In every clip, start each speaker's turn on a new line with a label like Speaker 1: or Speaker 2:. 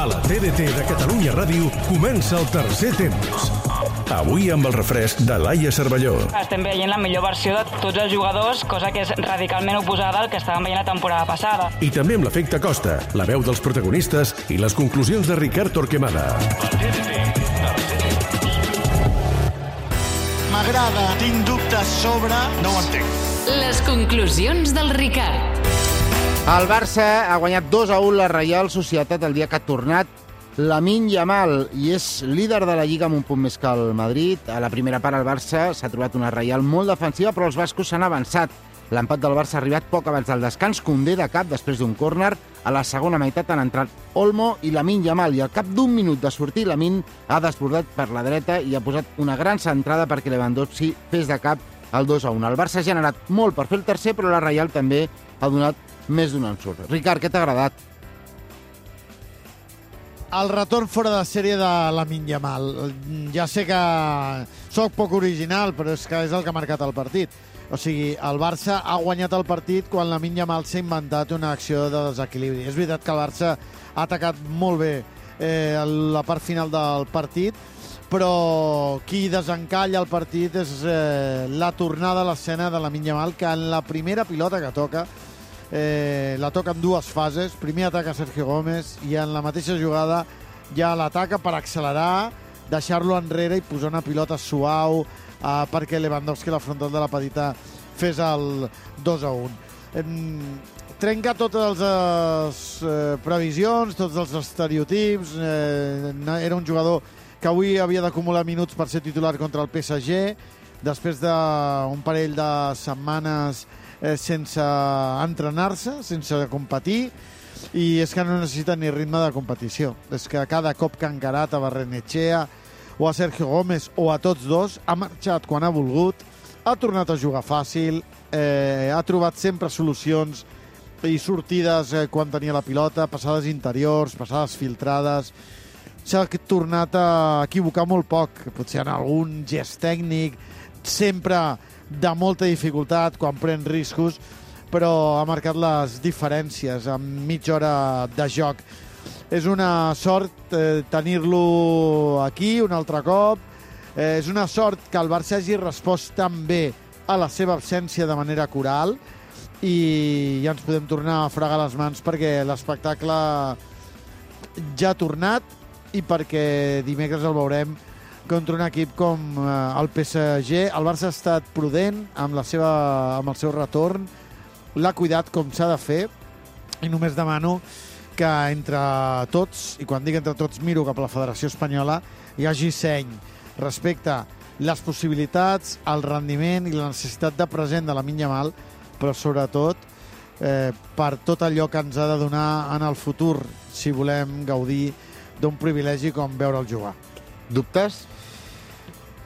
Speaker 1: A la TDT de Catalunya Ràdio comença el tercer temps. Avui amb el refresc de Laia Cervelló.
Speaker 2: Estem veient la millor versió de tots els jugadors, cosa que és radicalment oposada al que estàvem veient la temporada passada.
Speaker 1: I també amb l'efecte Costa, la veu dels protagonistes i les conclusions de Ricard Torquemada.
Speaker 3: M'agrada, tinc dubtes sobre... No ho entenc.
Speaker 4: Les conclusions del Ricard.
Speaker 5: El Barça ha guanyat 2-1 la Reial Societat el dia que ha tornat Lamine Yamal i és líder de la Lliga amb un punt més que el Madrid. A la primera part el Barça s'ha trobat una Reial molt defensiva, però els bascos s'han avançat. L'empat del Barça ha arribat poc abans del descans. Koundé de cap després d'un córner. A la segona meitat han entrat Olmo i Lamine Yamal i al cap d'un minut de sortir Lamine ha desbordat per la dreta i ha posat una gran centrada perquè Lewandowski fes de cap el 2-1. El Barça ha generat molt per fer el tercer, però la Reial també ha donat més d'un ensurt. Ricard, què t'ha agradat?
Speaker 3: El retorn fora de sèrie de Lamine Yamal. Ja sé que sóc poc original, però és que és el que ha marcat el partit. O sigui, el Barça ha guanyat el partit quan Lamine Yamal s'ha inventat una acció de desequilibri. És veritat que el Barça ha atacat molt bé la part final del partit, però qui desencalla el partit és la tornada a l'escena de Lamine Yamal, que en la primera pilota que toca la toca en dues fases. Primer ataca Sergio Gómez i en la mateixa jugada ja l'ataca per accelerar, deixar-lo enrere i posar una pilota suau perquè Lewandowski, la frontal de la petita, fes el 2-1. Trenca totes les previsions, tots els estereotips. Era un jugador que avui havia d'acumular minuts per ser titular contra el PSG, després d'un parell de setmanes sense entrenar-se, sense competir, i és que no necessita ni ritme de competició. És que cada cop que ha encarat a Barrenechea o a Sergio Gómez o a tots dos, ha marxat quan ha volgut, ha tornat a jugar fàcil, ha trobat sempre solucions i sortides quan tenia la pilota, passades interiors, passades filtrades. S'ha tornat a equivocar molt poc, potser en algun gest tècnic, sempre de molta dificultat quan pren riscos, però ha marcat les diferències en mitja hora de joc. És una sort tenir-lo aquí un altre cop. És una sort que el Barça hagi respost tan bé a la seva absència de manera coral i ja ens podem tornar a fregar les mans perquè l'espectacle ja ha tornat i perquè dimecres el veurem contra un equip com el PSG. El Barça ha estat prudent amb el seu retorn, l'ha cuidat com s'ha de fer i només demano que entre tots, i quan dic entre tots miro cap a la Federació Espanyola, hi hagi seny respecte a les possibilitats, el rendiment i la necessitat de present de Lamine Yamal, però sobretot per tot allò que ens ha de donar en el futur si volem gaudir d'un privilegi com veure'l jugar.
Speaker 5: Dubtes?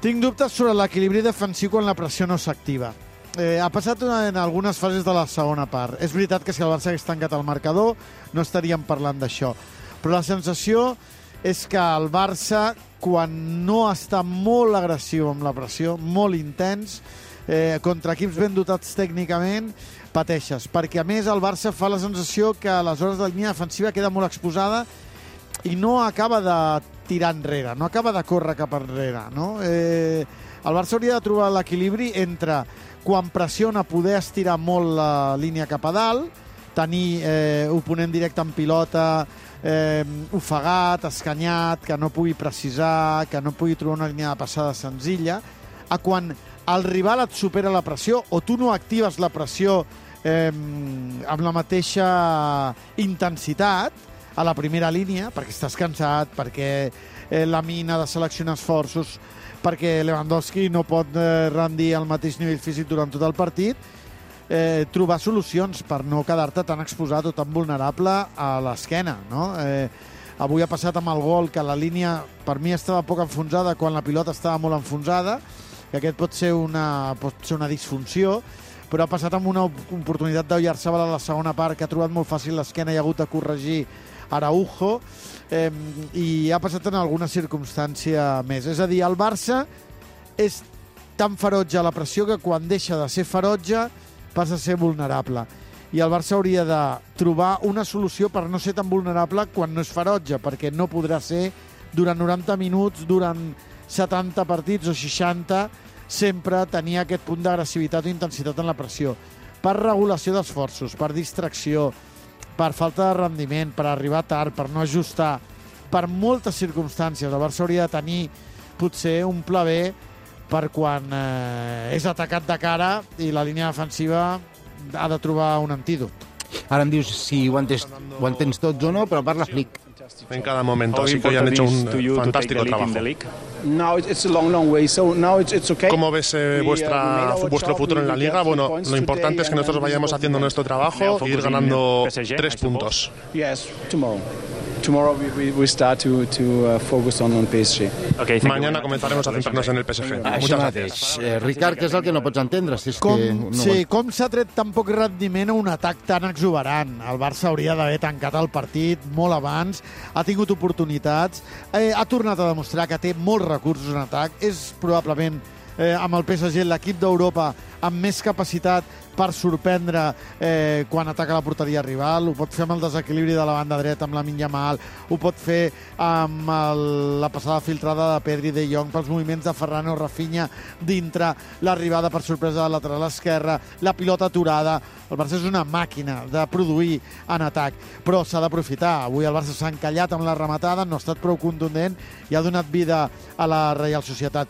Speaker 3: Tinc dubtes sobre l'equilibri defensiu quan la pressió no s'activa. Ha passat en algunes fases de la segona part. És veritat que si el Barça hagués tancat el marcador no estaríem parlant d'això. Però la sensació és que el Barça, quan no està molt agressiu amb la pressió, molt intens, contra equips ben dotats tècnicament, pateixes. Perquè, a més, el Barça fa la sensació que aleshores la línia defensiva queda molt exposada i no acaba de tirar enrere, no acaba de córrer cap enrere, no? El Barça hauria de trobar l'equilibri entre quan pressiona poder estirar molt la línia cap a dalt, tenir oponent directe en pilota, ofegat, escanyat, que no pugui precisar, que no pugui trobar una línia de passada senzilla, a quan el rival et supera la pressió o tu no actives la pressió amb la mateixa intensitat a la primera línia, perquè estàs cansat, perquè Lamine ha de seleccionar esforços, perquè Lewandowski no pot rendir al mateix nivell físic durant tot el partit, trobar solucions per no quedar-te tan exposat o tan vulnerable a l'esquena, no? Avui ha passat amb el gol que la línia per mi estava poc enfonsada quan la pilota estava molt enfonsada, que aquest pot ser una disfunció, però ha passat amb una oportunitat d'Oyarzabal a la segona part que ha trobat molt fàcil l'esquena i ha hagut de corregir Araujo, i ha passat en alguna circumstància més. És a dir, el Barça és tan ferotge a la pressió que quan deixa de ser ferotge passa a ser vulnerable. i el Barça hauria de trobar una solució per no ser tan vulnerable quan no és ferotge, perquè no podrà ser durant 90 minuts, durant 70 partits o 60, sempre tenir aquest punt d'agressivitat o intensitat en la pressió. Per regulació d'esforços, per distracció, per falta de rendiment, per arribar tard, per no ajustar, per moltes circumstàncies. El Barça hauria de tenir potser un pla B per quan és atacat de cara i la línia defensiva ha de trobar un antídot.
Speaker 5: Ara em dius si ho entens tots o no, però parla Flick.
Speaker 6: En cada momento, así que han hecho un fantástico trabajo. ¿Cómo ves vuestro futuro en la Liga? Bueno, lo importante es que nosotros vayamos haciendo nuestro trabajo e ir ganando 3 puntos.
Speaker 7: Tomorrow we start to focus on PSG.
Speaker 6: Mañana comenzaremos a centrarnos en el PSG. Muchas gracias.
Speaker 5: Ricard, què és el que no pots entendre? Si és
Speaker 3: com s'ha tret tan poc rendiment a un atac tan exuberant? El Barça hauria d'haver tancat el partit molt abans, ha tingut oportunitats, ha tornat a demostrar que té molts recursos en atac, és probablement amb el PSG l'equip d'Europa amb més capacitat per sorprendre quan ataca la porteria rival, ho pot fer amb el desequilibri de la banda dreta amb Lamine Yamal, ho pot fer amb la passada filtrada de Pedri de Jong pels moviments de Ferran o Rafinha dintre, l'arribada per sorpresa de lateral esquerra, la pilota aturada. El Barça és una màquina de produir en atac, però s'ha d'aprofitar. Avui el Barça s'ha encallat amb la rematada, no ha estat prou contundent i ha donat vida a la Real Societat.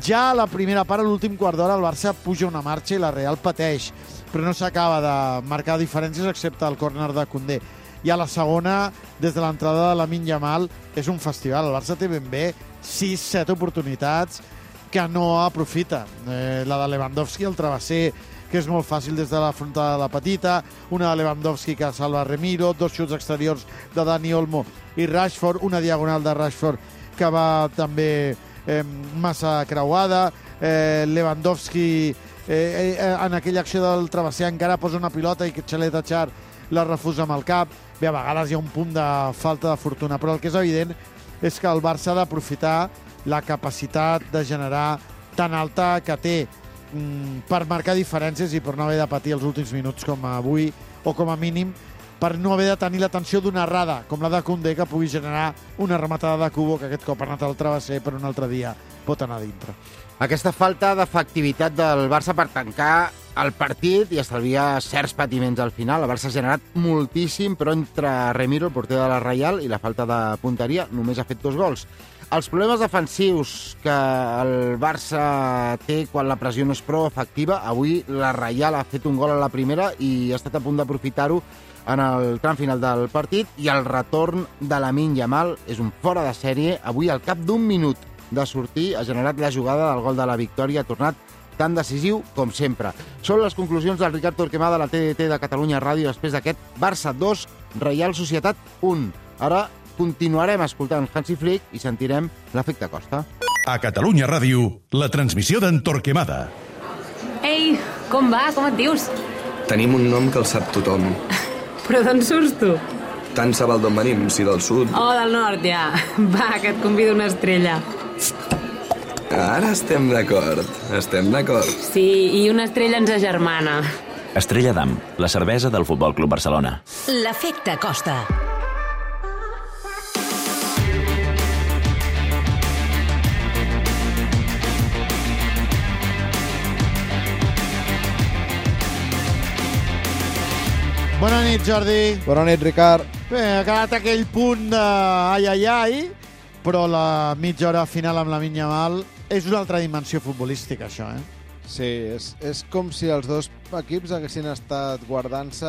Speaker 3: Ja a la primera part, a l'últim quart d'hora, el Barça puja una marxa i la Real pateix, però no s'acaba de marcar diferències excepte el córner de Koundé. I a la segona, des de l'entrada de Lamine Yamal, és un festival. El Barça té ben bé 6-7 oportunitats que no aprofita. La de Lewandowski, el travesser, que és molt fàcil des de la frontada de la petita, una de Lewandowski que salva Remiro, 2 xuts exteriors de Dani Olmo i Rashford, una diagonal de Rashford que va també massa creuada, Lewandowski en aquella acció del travesser encara posa una pilota i que Xaleta Char la refusa amb el cap. Bé, a vegades hi ha un punt de falta de fortuna, però el que és evident és que el Barça ha d'aprofitar la capacitat de generar tan alta que té per marcar diferències i per no haver de patir els últims minuts com avui, o com a mínim per no haver de tenir l'atenció d'una errada com la de Koundé, que pugui generar una rematada de Kubo que aquest cop ha anat al travesser però un altre dia pot anar dintre.
Speaker 5: Aquesta falta d'efectivitat del Barça per tancar el partit i estalviar certs patiments al final. El Barça ha generat moltíssim, però entre Remiro, el porter de la Reial, i la falta de punteria només ha fet 2 gols. Els problemes defensius que el Barça té quan la pressió no és prou efectiva, avui la Reial ha fet un gol a la primera i ha estat a punt d'aprofitar-ho en el tram final del partit, i el retorn de Lamine Yamal és un fora de sèrie. Avui, al cap d'un minut de sortir, ha generat la jugada del gol de la victòria, ha tornat tan decisiu com sempre. Són les conclusions del Ricard Torquemada de la TDT de Catalunya Ràdio després d'aquest Barça 2, Reial Societat 1. Ara continuarem escoltant Hansi Flick i sentirem l'efecte Costa.
Speaker 1: A Catalunya Ràdio, la transmissió d'en Torquemada.
Speaker 8: Ei, com va? Com et dius?
Speaker 9: Tenim un nom que el sap tothom.
Speaker 8: Però d'on surts tu?
Speaker 9: Tant se val d'on venim, si del sud.
Speaker 8: Oh, del nord, ja. Va, que et convido una estrella.
Speaker 9: Ara estem d'acord,
Speaker 8: Sí, i una estrella ens agermana.
Speaker 10: Estrella d'Am, la cervesa del Futbol Club Barcelona.
Speaker 4: L'efecte Costa.
Speaker 3: Bona nit, Jordi.
Speaker 11: Bona nit, Ricard.
Speaker 3: Bé, ha quedat aquell punt de ai, però la mitja hora final amb Lamine Yamal és una altra dimensió futbolística, això,
Speaker 11: Sí, és com si els dos equips haguessin estat guardant-se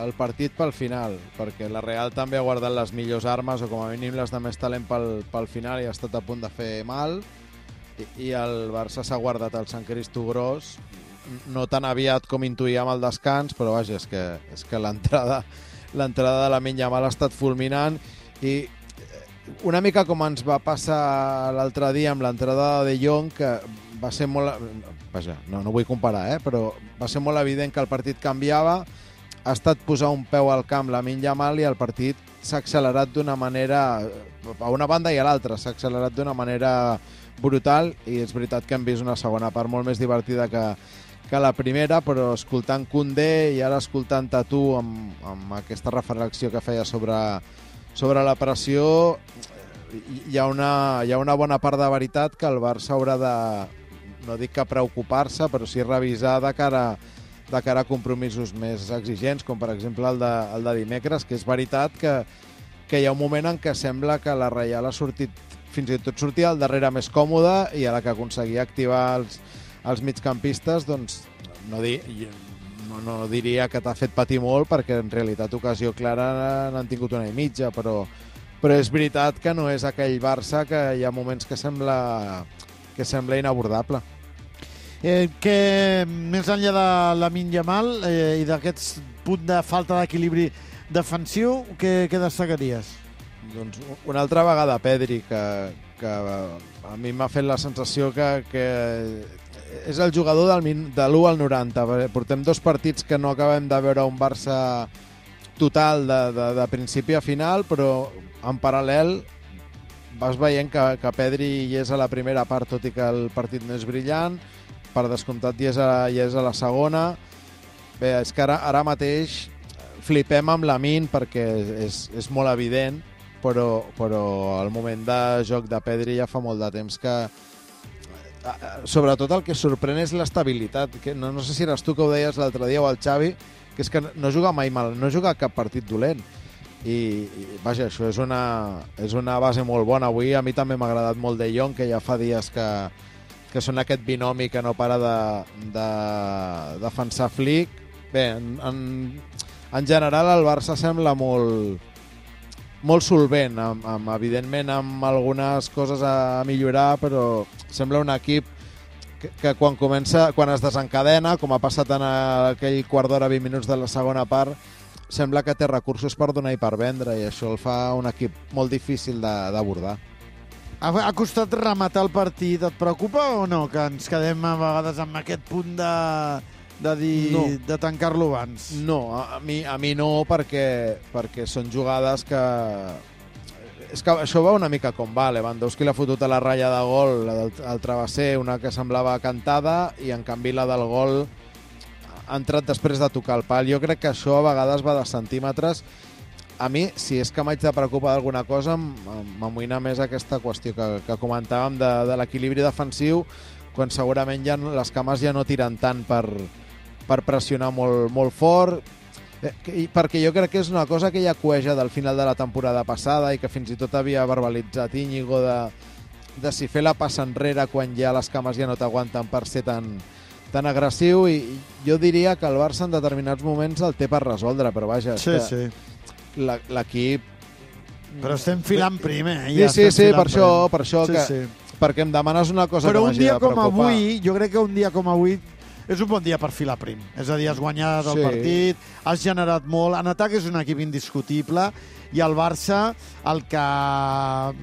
Speaker 11: el partit pel final, perquè la Real també ha guardat les millors armes, o com a mínim les de més talent pel final, i ha estat a punt de fer mal, i el Barça s'ha guardat el Sant Cristo gros, no tan aviat com intuïem al descans, però vaja, és que l'entrada de Lamine Yamal ha estat fulminant, i una mica com ens va passar l'altre dia amb l'entrada de Jong, que va ser molt... Vaja, no vull comparar, però va ser molt evident que el partit canviava, ha estat posar un peu al camp Lamine Yamal i el partit s'ha accelerat d'una manera, a una banda i a l'altra, s'ha accelerat d'una manera brutal, i és veritat que hem vist una segona part molt més divertida que que la primera, però escoltant Koundé i ara escoltant-te tu amb aquesta reflexió que feia sobre la pressió, hi ha una bona part de veritat que el Barça haurà de, no dic que preocupar-se, però sí revisar de cara a compromisos més exigents, com per exemple el de dimecres, que és veritat que hi ha un moment en què sembla que la Reial ha sortit, fins i tot sortia al darrere més còmode, i a la que aconseguia activar els migcampistes, doncs no diria que t'ha fet patir molt, perquè en realitat ocasió clara n'han tingut una i mitja, però és veritat que no és aquell Barça que hi ha moments que sembla inabordable.
Speaker 3: Que més enllà de Lamine Yamal i d'aquest punt de falta d'equilibri defensiu, què destacaries?
Speaker 11: Doncs una altra vegada Pedri, que a mi m'ha fet la sensació que és el jugador de l'1 al 90. Portem 2 partits que no acabem de veure un Barça total de principi a final, però en paral·lel vas veient que Pedri hi és a la primera part, tot i que el partit no és brillant, per descomptat hi és a la segona. Bé, és que ara mateix flipem amb Lamine perquè és molt evident, però el moment de joc de Pedri ja fa molt de temps que... Sobretot el que sorprèn és l'estabilitat. No sé si eres tu que ho deies l'altre dia o el Xavi, que és que no juga mai mal, no juga cap partit dolent. I vaja, això és una base molt bona. Avui a mi també m'ha agradat molt De Jong, que ja fa dies que són aquest binomi que no para de defensar Flick. Bé, en general el Barça sembla molt solvent, evidentment amb algunes coses a millorar, però sembla un equip que quan es desencadena, com ha passat en aquell quart d'hora, 20 minuts de la segona part, sembla que té recursos per donar i per vendre, i això el fa un equip molt difícil d'abordar.
Speaker 3: Ha costat rematar el partit. Et preocupa o no que ens quedem a vegades amb aquest punt de dir no, de tancar-lo abans?
Speaker 11: No, a mi no, perquè són jugades que... És que això va una mica com va. Lewandowski l'ha fotut a la ratlla de gol, la del travesser, una que semblava cantada, i en canvi la del gol ha entrat després de tocar el pal. Jo crec que això a vegades va de centímetres. A mi, si és que m'haig de preocupar d'alguna cosa, m'amoïna més aquesta qüestió que comentàvem de l'equilibri defensiu, quan segurament ja les cames ja no tiren tant per pressionar molt fort, perquè jo crec que és una cosa que ja cueja del final de la temporada passada i que fins i tot havia verbalitzat Íñigo de si fer la passa enrere quan ja les cames ja no t'aguanten per ser tan agressiu, i jo diria que el Barça en determinats moments el té per resoldre, però vaja,
Speaker 3: sí.
Speaker 11: L'equip...
Speaker 3: Però estem filant primer.
Speaker 11: Sí, per això perquè em demanes una cosa
Speaker 3: però
Speaker 11: que m'hagi de preocupar.
Speaker 3: Però un dia com avui, jo crec que un dia com avui és un bon dia per filar prim. És a dir, has guanyat el partit, has generat molt. En atac és un equip indiscutible, i el Barça el que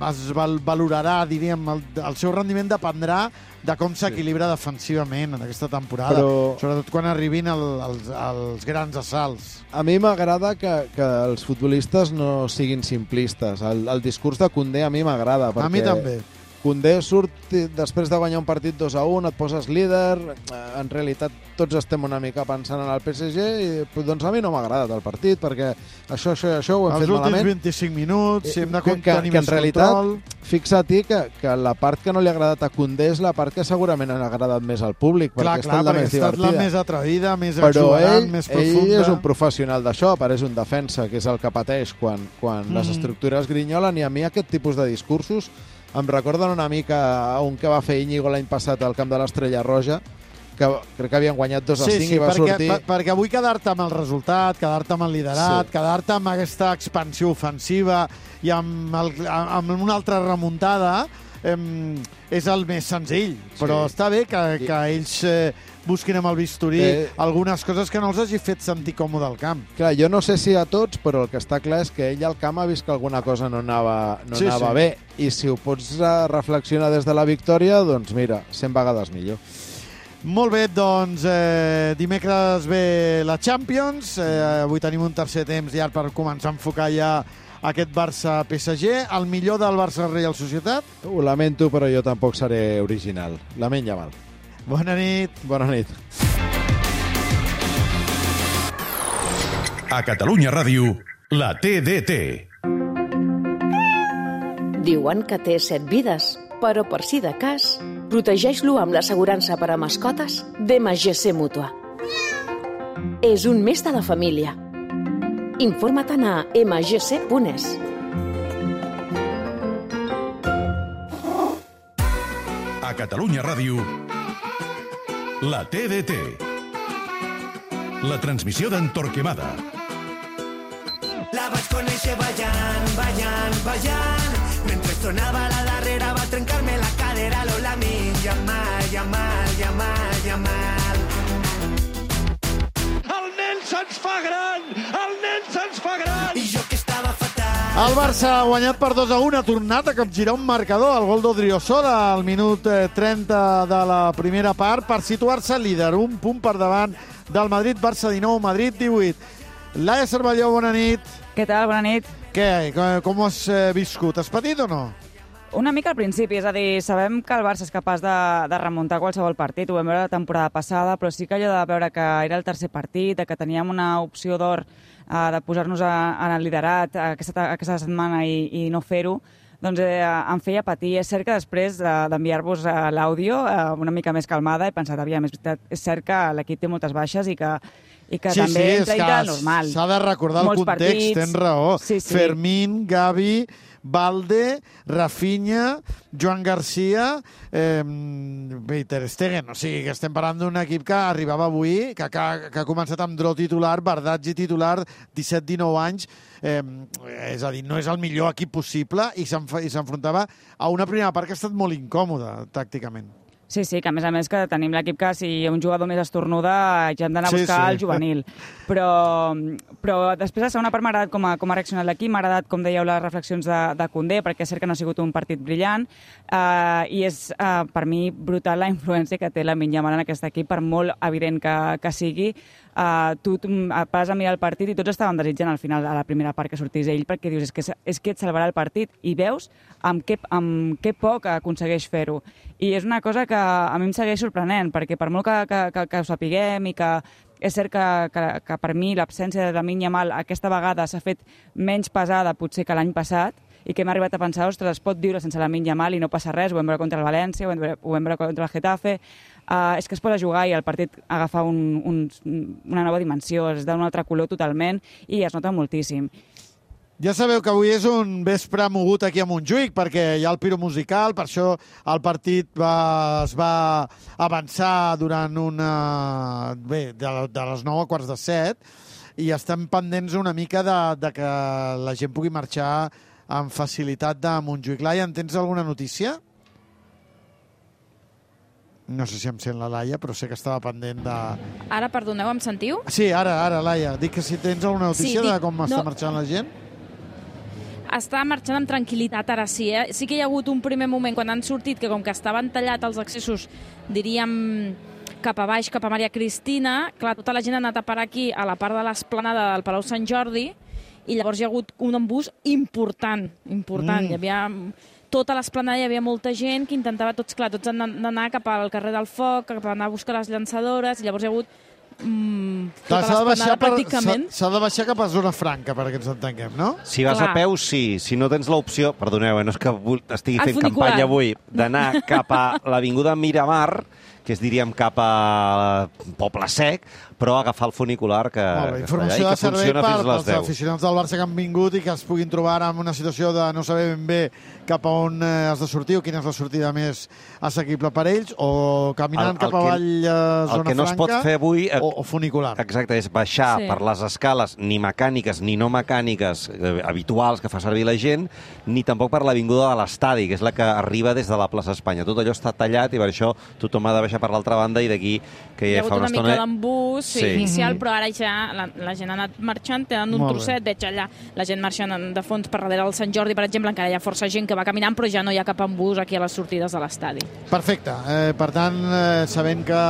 Speaker 3: es valorarà, diríem, el seu rendiment dependrà de com s'equilibra defensivament en aquesta temporada, sobretot quan arribin els grans assalts.
Speaker 11: A mi m'agrada que els futbolistes no siguin simplistes. El discurs de Koundé a mi m'agrada.
Speaker 3: A mi també.
Speaker 11: Koundé surt després de guanyar un partit 2-1, et poses líder, en realitat tots estem una mica pensant en el PSG, i doncs a mi no m'ha agradat el partit, perquè això ho hem fet malament.
Speaker 3: Els últims 25 minuts, si hem de tenir més
Speaker 11: control. Fixa-t'hi que la part que no li ha agradat a Koundé és la part que segurament ha agradat més al públic, perquè
Speaker 3: ha estat la més atrevida, més exuberant, més profunda.
Speaker 11: Ell és un professional d'això, és un defensa, que és el que pateix quan les estructures grinyolen, i a mi aquest tipus de discursos em recorden una mica un que va fer Íñigo l'any passat al camp de l'Estrella Roja, que crec que havien guanyat 2-5 i va sortir...
Speaker 3: perquè avui quedar-te amb el resultat, quedar-te amb el liderat, quedar-te amb aquesta expansió ofensiva i amb una altra remuntada és el més senzill, però està bé que ells busquin amb el bisturí algunes coses que no els hagi fet sentir còmode al camp.
Speaker 11: Clar, jo no sé si a tots, però el que està clar és que ell al camp ha vist que alguna cosa no anava bé, i si ho pots reflexionar des de la victòria, doncs mira, 100 vegades millor.
Speaker 3: Molt bé, doncs dimecres ve la Champions, avui tenim un tercer temps llarg per començar a enfocar ja aquest Barça-PSG, el millor del Barça-Reial Societat?
Speaker 11: Ho lamento, però jo tampoc seré original. Lamine Yamal.
Speaker 3: Bona nit.
Speaker 11: Bona nit.
Speaker 1: A Catalunya Ràdio, la TDT.
Speaker 12: Diuen que té 7 vides, però per si de cas, protegeix-lo amb l'assegurança per a mascotes d'MGC Mútua. És un més de la família. Informa-te'n a mgc.es.
Speaker 1: A Catalunya Ràdio, la TDT. La transmissió d'en Torquemada.
Speaker 13: La vaig conèixer ballant. Mentre sonava la darrera va trencar-me la cadera. Lola Yamal.
Speaker 14: El nen se'ns fa gran!
Speaker 13: I jo que estava fatal.
Speaker 3: El Barça ha guanyat per 2-1, ha tornat a capgirar un marcador, el gol d'Odriozola al minut 30 de la primera part, per situar-se líder, un punt per davant del Madrid. Barça 19, Madrid 18. Laia Cervelló, bona nit.
Speaker 2: Què tal? Bona nit.
Speaker 3: Què? Com ho has viscut? Has patit o no?
Speaker 2: Una mica al principi, és a dir, sabem que el Barça és capaç de remuntar qualsevol partit, ho vam veure la temporada passada, però sí que allò de veure que era el tercer partit, que teníem una opció d'or de posar-nos en el liderat aquesta setmana i no fer-ho, doncs em feia patir. És cert que després d'enviar-vos l'àudio una mica més calmada he pensat, aviam, és cert que l'equip té moltes baixes i que també entra normal.
Speaker 3: S'ha de recordar el context, tens raó. Sí. Fermín, Gavi, Valde, Rafinha, Joan Garcia i Ter Stegen. O sigui, que estem parlant d'un equip que arribava avui, que ha començat amb Dro titular, Bardazzi titular, 17-19 anys. És a dir, no és el millor equip possible i s'enfrontava a una primera part que ha estat molt incòmoda, tàcticament.
Speaker 2: Sí, que a més que tenim l'equip que si un jugador més estornuda ja hem d'anar a buscar el juvenil. Però després la segona part m'ha agradat com ha reaccionat l'equip, m'ha agradat, com dèieu, les reflexions de Koundé, perquè és cert que no ha sigut un partit brillant i és per mi brutal la influència que té Lamine Yamal en aquest equip, per molt evident que sigui. Tu vas a mirar el partit i tots estaven desitjant al final, a la primera part, que sortís ell, perquè dius, és que et salvarà el partit, i veus amb què poc aconsegueix fer-ho. I és una cosa que a mi em segueix sorprenent, perquè per molt que ho sapiguem i que és cert que per mi l'absència de Lamine Yamal aquesta vegada s'ha fet menys pesada potser que l'any passat, i que hem arribat a pensar, ostres, es pot viure sense Lamine Yamal i no passa res, ho vam veure contra el València, ho vam veure contra el Getafe, és que es posa a jugar i el partit agafa una nova dimensió, es da un altre color totalment i es nota moltíssim.
Speaker 3: Ja sabeu que avui és un vespre mogut aquí a Montjuïc, perquè hi ha el piro musical, per això el partit es va avançar durant de les 9 a quarts de 7, i estem pendents una mica de que la gent pugui marxar amb facilitat de Montjuïc. Laia, en tens alguna notícia? No sé si em sent la Laia, però sé que estava pendent de...
Speaker 15: Ara, perdoneu, em sentiu?
Speaker 3: Sí, ara, Laia. Dic que si tens alguna notícia de com està marxant la gent.
Speaker 15: Està marxant amb tranquil·litat, ara sí. Sí que hi ha hagut un primer moment quan han sortit que com que estaven tallats els accessos, diríem, cap a baix, cap a Maria Cristina, clar, tota la gent ha anat a parar aquí, a la part de l'esplanada del Palau Sant Jordi, i llavors hi ha hagut un embús important. Hi havia... Tota l'esplanada hi havia molta gent que intentava, tots han d'anar cap al carrer del Foc, cap a anar a buscar les llançadores, i llavors hi ha hagut tota l'esplanada pràcticament.
Speaker 3: S'ha de baixar cap a zona franca, perquè ens entenguem, no?
Speaker 16: Si vas a peu, sí. Si no tens l'opció, perdoneu, no és que estigui fent campanya avui, d'anar cap a l'avinguda Miramar, que és, diríem, cap a Poble Sec, però agafar el funicular que
Speaker 3: informació de servei pels aficionats del Barça que han vingut i que es puguin trobar en una situació de no saber ben bé cap a on has de sortir o quina és la sortida més assequible per ells, o caminant cap avall a zona franca,
Speaker 16: el que no es pot fer avui,
Speaker 3: o funicular.
Speaker 16: Exacte, és baixar per les escales, ni mecàniques ni no mecàniques habituals que fa servir la gent, ni tampoc per l'avinguda de l'estadi, que és la que arriba des de la plaça Espanya. Tot allò està tallat i per això tothom ha de baixar per l'altra banda, i d'aquí que ja fa una estona...
Speaker 15: Hi ha hagut una mica d'embús inicial, però ara ja la gent ha anat marxant, tenen un trosset, veig allà la gent marxant de fons per darrere del Sant Jordi, per exemple, encara hi ha força gent que va caminant, però ja no hi ha cap embús aquí a les sortides de l'estadi.
Speaker 3: Perfecte. Per tant, sabent que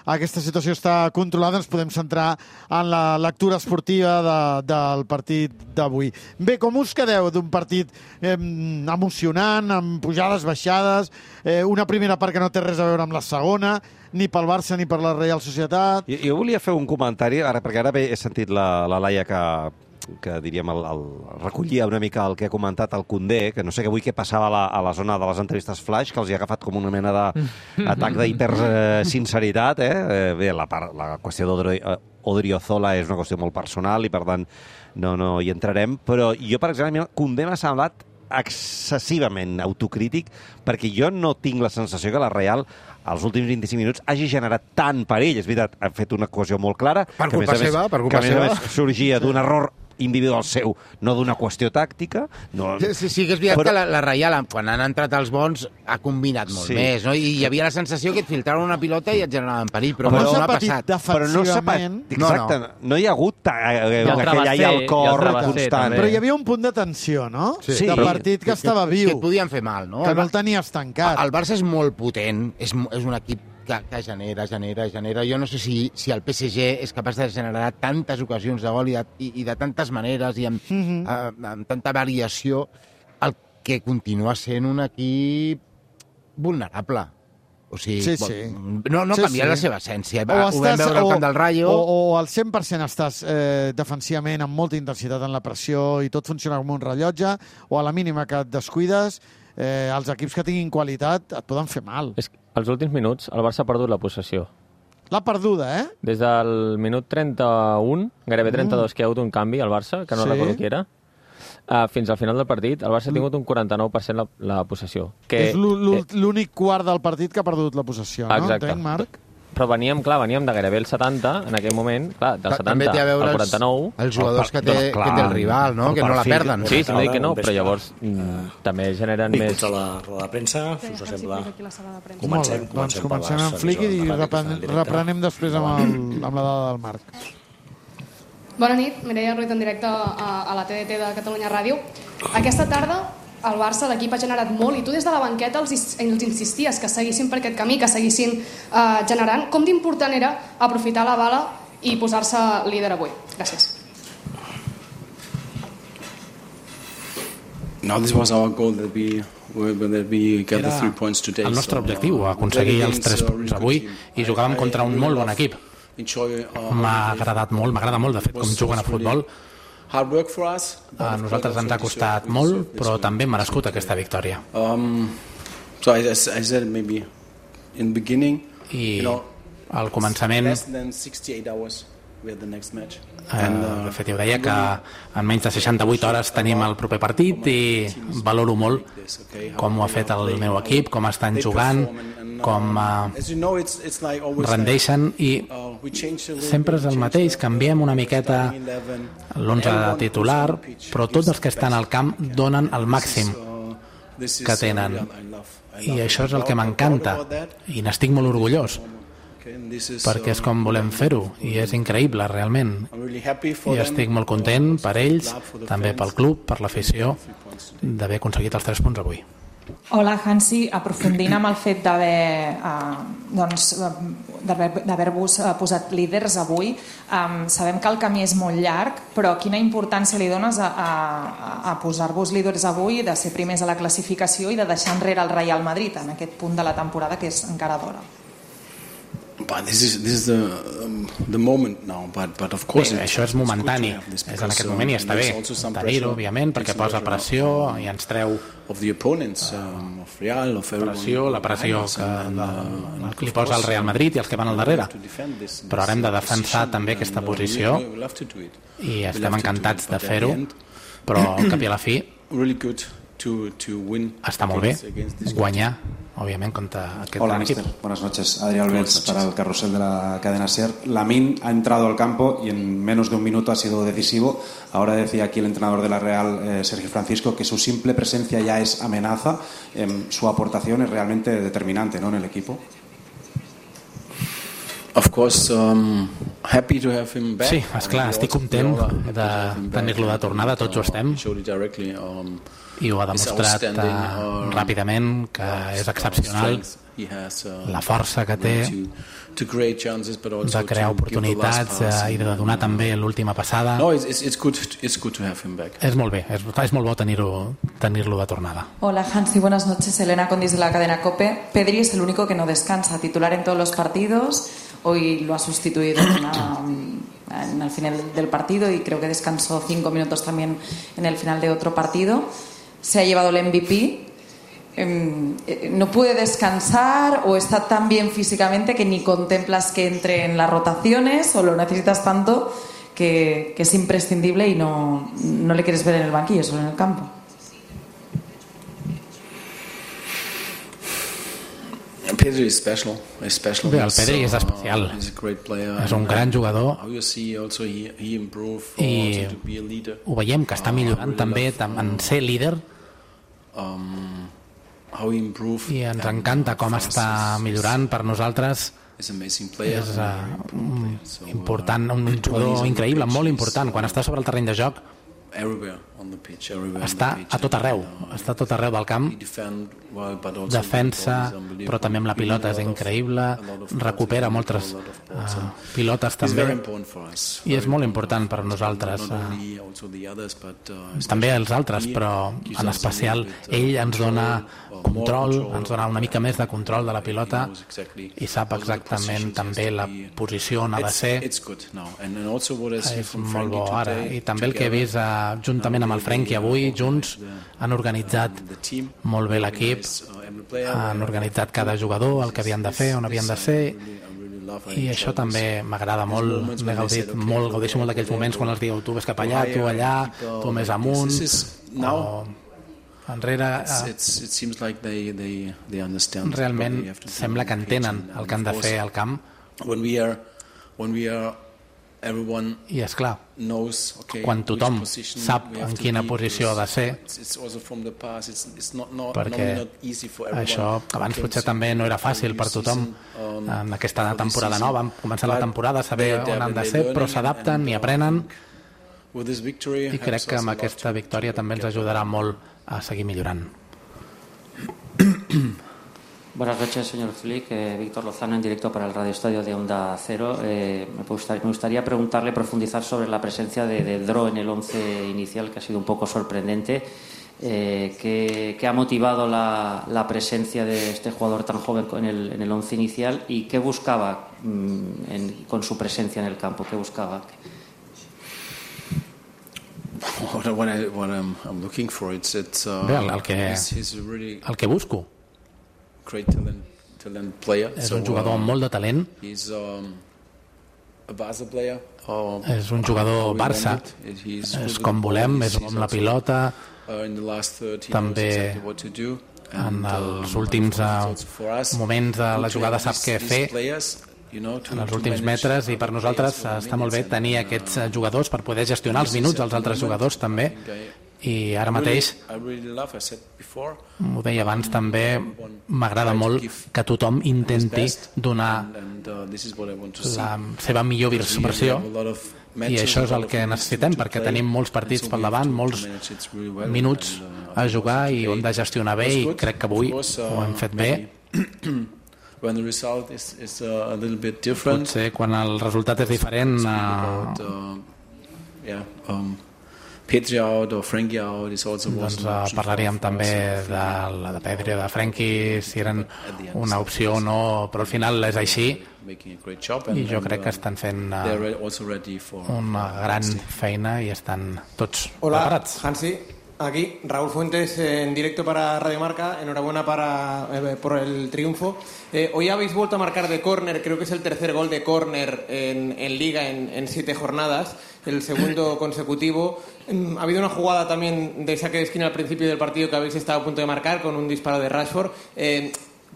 Speaker 3: aquesta situació està controlada, ens podem centrar en la lectura esportiva del partit d'avui. Bé, com us quedeu d'un partit emocionant, amb pujades, baixades, una primera part que no té res a veure amb la segona, ni pel Barça ni per la Reial Societat?
Speaker 16: Jo volia fer un comentari, perquè ara he sentit la Laia que diríem, recollia una mica el que ha comentat el Koundé, que no sé avui què passava a la zona de les entrevistes flash, que els hi ha agafat com una mena d'atac d'hipersinceritat. Bé, la qüestió d'Odriozola és una qüestió molt personal i, per tant, no hi entrarem. Però jo, per exemple, Koundé m'ha semblat excessivament autocrític, perquè jo no tinc la sensació que la Real als últims 25 minuts hagi generat tant perill. És veritat, ha fet una cohesió molt clara, que a més a més sorgia d'un error individual seu, no d'una qüestió tàctica.
Speaker 5: Sí que és veritat que la Reial, quan han entrat els bons, ha combinat molt més, no? I hi havia la sensació que et filtraven una pilota i et generaven perill, però no ha passat.
Speaker 3: Però no s'ha patit.
Speaker 16: Exacte, no hi ha hagut aquell ai al cor constant.
Speaker 3: Però hi havia un punt de tensió, no? De partit que estava viu.
Speaker 5: Que et podien fer mal, no?
Speaker 3: Que no el tenies tancat.
Speaker 5: El Barça és molt potent, és un equip que genera. Jo no sé si el PSG és capaç de generar tantes ocasions de gol i de tantes maneres i amb tanta variació, el que continua sent un equip vulnerable. O sigui, no canvia la seva essència. Ho vam veure al camp del Rayo.
Speaker 3: O al 100% estàs defensivament amb molta intensitat en la pressió i tot funciona com un rellotge, o a la mínima que et descuides, els equips que tinguin qualitat et poden fer mal.
Speaker 17: Als últims minuts el Barça ha perdut la possessió.
Speaker 3: L'ha perduda,
Speaker 17: Des del minut 31, gairebé 32, que hi ha hagut un canvi al Barça, que no recordo qui era, fins al final del partit, el Barça ha tingut un 49% la possessió.
Speaker 3: És l'únic quart del partit que ha perdut la possessió, no?
Speaker 17: Exacte.
Speaker 3: Entenc, Marc?
Speaker 17: Però veníem de gairebé el 70, en aquell moment, clar, del 70 al 49...
Speaker 5: Els jugadors que té el rival, no? Que no la perden.
Speaker 17: Sí, no dic que no, però llavors també generen més...
Speaker 18: Benvinguts a la roda de premsa, si us sembla.
Speaker 3: Comencem amb Flick i reprenem després amb la dada del Marc.
Speaker 19: Bona nit, Mireia Ruiz en directe a la TDT de Catalunya Ràdio. Aquesta tarda el Barça, l'equip ha generat molt, i tu des de la banqueta els insisties que seguissin per aquest camí, que seguissin generant. Com d'important era aprofitar la bala i posar-se líder avui? Gràcies.
Speaker 20: Era el nostre objectiu, aconseguir els 3 punts avui, i jugàvem contra un molt bon equip. M'agrada molt, de fet, com juguen a futbol. A nosaltres ens ha costat molt, però també hem merescut aquesta victòria. I al començament, de fet, jo deia que en menys de 68 hores tenim el proper partit i valoro molt com ho ha fet el meu equip, com estan jugant, com rendeixen, i sempre és el mateix, canviem una miqueta l'11 titular, però tots els que estan al camp donen el màxim que tenen, i això és el que m'encanta i n'estic molt orgullós, perquè és com volem fer-ho i és increïble realment, i estic molt content per ells, també pel club, per l'afició, d'haver aconseguit els 3 punts avui.
Speaker 21: Hola, Hansi. Aprofundint amb el fet d'haver-vos posat líders avui, sabem que el camí és molt llarg, però quina importància li dones a posar-vos líders avui, de ser primers a la classificació i de deixar enrere el Real Madrid en aquest punt de la temporada que és encara d'hora?
Speaker 20: Això és momentani, és en aquest moment i està bé tenir-ho, òbviament, perquè posa pressió i ens treu pressió, la pressió que li posa el Real Madrid i els que van al darrere, però ara hem de defensar també aquesta posició i estem encantats de fer-ho, però al cap i a la fi està molt bé guanyar, obviamente, contra aquest gran equipo.
Speaker 22: Buenas noches. Adrián Alves para el carrusel de la cadena SER. Lamine ha entrado al campo y en menos de un minuto ha sido decisivo. Ahora decía aquí el entrenador de la Real, Sergio Francisco, que su simple presencia ya es amenaza. Su aportación es realmente determinante, ¿no?, en el equipo.
Speaker 20: Sí, esclar, estic content de tenir-lo de tornada, tots ho estem, i ho ha demostrat ràpidament, que és excepcional, la força que té de crear oportunitats i de donar també l'última passada. És molt bé, és molt bo tenir-lo de tornada.
Speaker 21: Hola Hansi, buenas noches. Elena Condis de la cadena COPE. Pedri es el único que no descansa, titular en todos los partidos. Hoy lo ha sustituido en el final del partido y creo que descansó 5 minutos también en el final de otro partido. Se ha llevado el MVP. ¿No puede descansar o está tan bien físicamente que ni contemplas que entre en las rotaciones o lo necesitas tanto que es imprescindible y no le quieres ver en el banquillo, solo en el campo?
Speaker 20: Bé, el Pedri és especial, és un gran jugador i ho veiem que està millorant també en ser líder i ens encanta com està millorant. Per nosaltres és important, un jugador increïble, molt important. Quan està sobre el terreny de joc està a tot arreu del camp, defensa, però també amb la pilota és increïble, recupera moltes pilotes també, i és molt important per nosaltres, també els altres, però en especial ell ens dona control, ens dona una mica més de control de la pilota i sap exactament també la posició on ha de ser. És molt bo ara, i també el que he vist juntament amb el Frenkie avui, junts han organitzat molt bé l'equip, han organitzat cada jugador el que havien de fer, on havien de ser, i això també m'agrada molt. M'he gaudit molt, gaudeixo molt d'aquells moments quan els diu tu ves cap allà, tu allà, tu més amunt o enrere. Realment sembla que entenen el que han de fer al camp. I és clar, quan tothom sap en quina posició ha de ser, perquè això abans potser també no era fàcil per tothom en aquesta temporada nova, començar la temporada, saber on han de ser, però s'adapten i aprenen, i crec que amb aquesta victòria també ens ajudarà molt a seguir millorant.
Speaker 18: Buenas noches, señor Flick. Víctor Lozano en directo para el Radio Estadio de Onda Cero. Me gustaría preguntarle, profundizar sobre la presencia de Dro en el 11 inicial, que ha sido un poco sorprendente. ¿Qué ha motivado la presencia de este jugador tan joven en el 11 inicial y qué buscaba con su presencia en el campo? ¿Qué buscaba?
Speaker 20: El que busco és un jugador amb molt de talent, és un jugador Barça, és com volem, és amb la pilota, també en els últims moments de la jugada sap què fer, en els últims metres, i per nosaltres està molt bé tenir aquests jugadors per poder gestionar els minuts dels altres jugadors també. I ara mateix, ho deia abans també, m'agrada molt que tothom intenti donar la seva millor versió, i això és el que necessitem, perquè tenim molts partits per davant, molts minuts a jugar i ho hem de gestionar bé, i crec que avui ho hem fet bé. Potser quan el resultat és diferent, doncs parlaríem també de Pedri o de Frenkie, si eren una opció o no, però al final és així, i jo crec que estan fent una gran feina i estan tots preparats.
Speaker 6: Hola, Hansi. Aquí, Raúl Fuentes en directo para Radio Marca. Enhorabuena por el triunfo. Hoy habéis vuelto a marcar de córner, creo que es el tercer gol de córner en Liga en 7 jornadas, el segundo consecutivo. Ha habido una jugada también de saque de esquina al principio del partido que habéis estado a punto de marcar con un disparo de Rashford.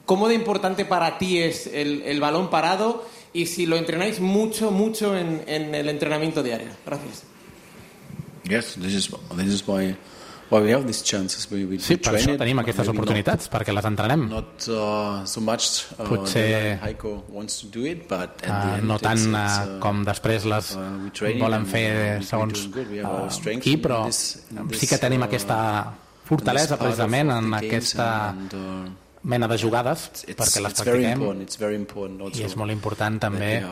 Speaker 6: ¿Cómo de importante para ti es el balón parado y si lo entrenáis mucho en el entrenamiento diario? Gracias.
Speaker 7: Yes, this is why
Speaker 20: Sí, per això tenim aquestes oportunitats, perquè les entrenem. Potser no tant com després les volen fer segons qui, però sí que tenim aquesta fortalesa precisament en aquesta mena de jugades perquè les practiquem, i és molt important també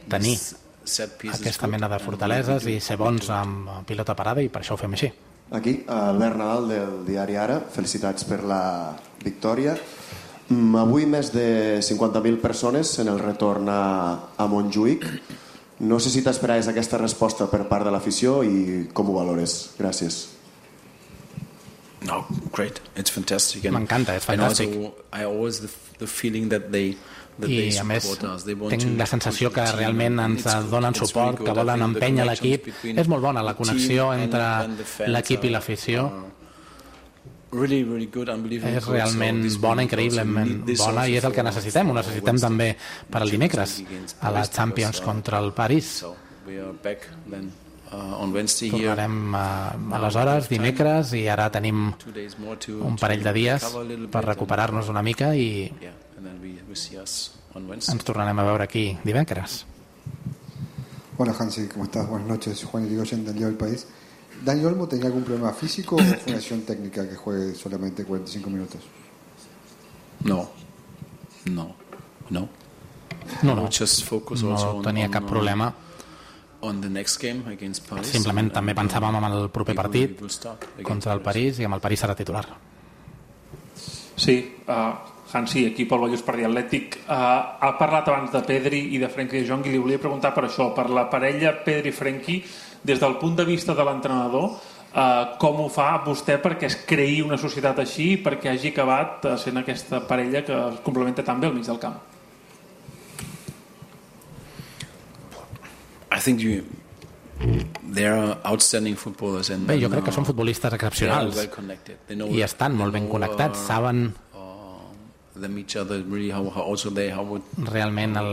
Speaker 20: tenir aquesta mena de fortaleses i ser bons amb pilota parada, i per això ho fem així.
Speaker 7: Aquí, Albert Nadal del diari Ara, felicitats per la victòria. Avui més de 50.000 persones en el retorn a Montjuïc. No sé si t'esperaves aquesta resposta per part de l'afició i com ho valores. Gràcies.
Speaker 22: No, great. It's fantastic.
Speaker 20: M'encanta, és fantàstic.
Speaker 22: I always the feeling that they
Speaker 20: i a més tinc la sensació que realment ens donen suport, que volen empènyer l'equip. És molt bona la connexió entre l'equip i l'afició. És realment bona, increïblement bona, i és el que necessitem. Ho necessitem també per al dimecres a la Champions contra el París. Tornarem aleshores dimecres, i ara tenim un parell de dies per recuperar-nos una mica i ens tornarem a veure aquí divendres.
Speaker 9: Hola Hansi, ¿cómo estás? Buenas noches, Juan Irigoyen del Diario del País. ¿Dani Olmo tenía algún problema físico o fue una acción técnica que juegue solamente 45 minutos?
Speaker 22: No
Speaker 20: tenia cap problema. Simplement també pensàvem en el proper partit contra el París, i amb el París serà titular.
Speaker 23: Sí, Hansi, aquí pel Vallès per dir Atlètic. Ha parlat abans de Pedri i de Frenkie de Jong, i li volia preguntar per això, per la parella Pedri-Frenkie, des del punt de vista de l'entrenador, com ho fa vostè perquè es creï una societat així, perquè hagi acabat sent aquesta parella que es complementa tan bé al mig del camp?
Speaker 20: Bé, jo crec que són futbolistes excepcionals i estan molt ben connectats, saben realment al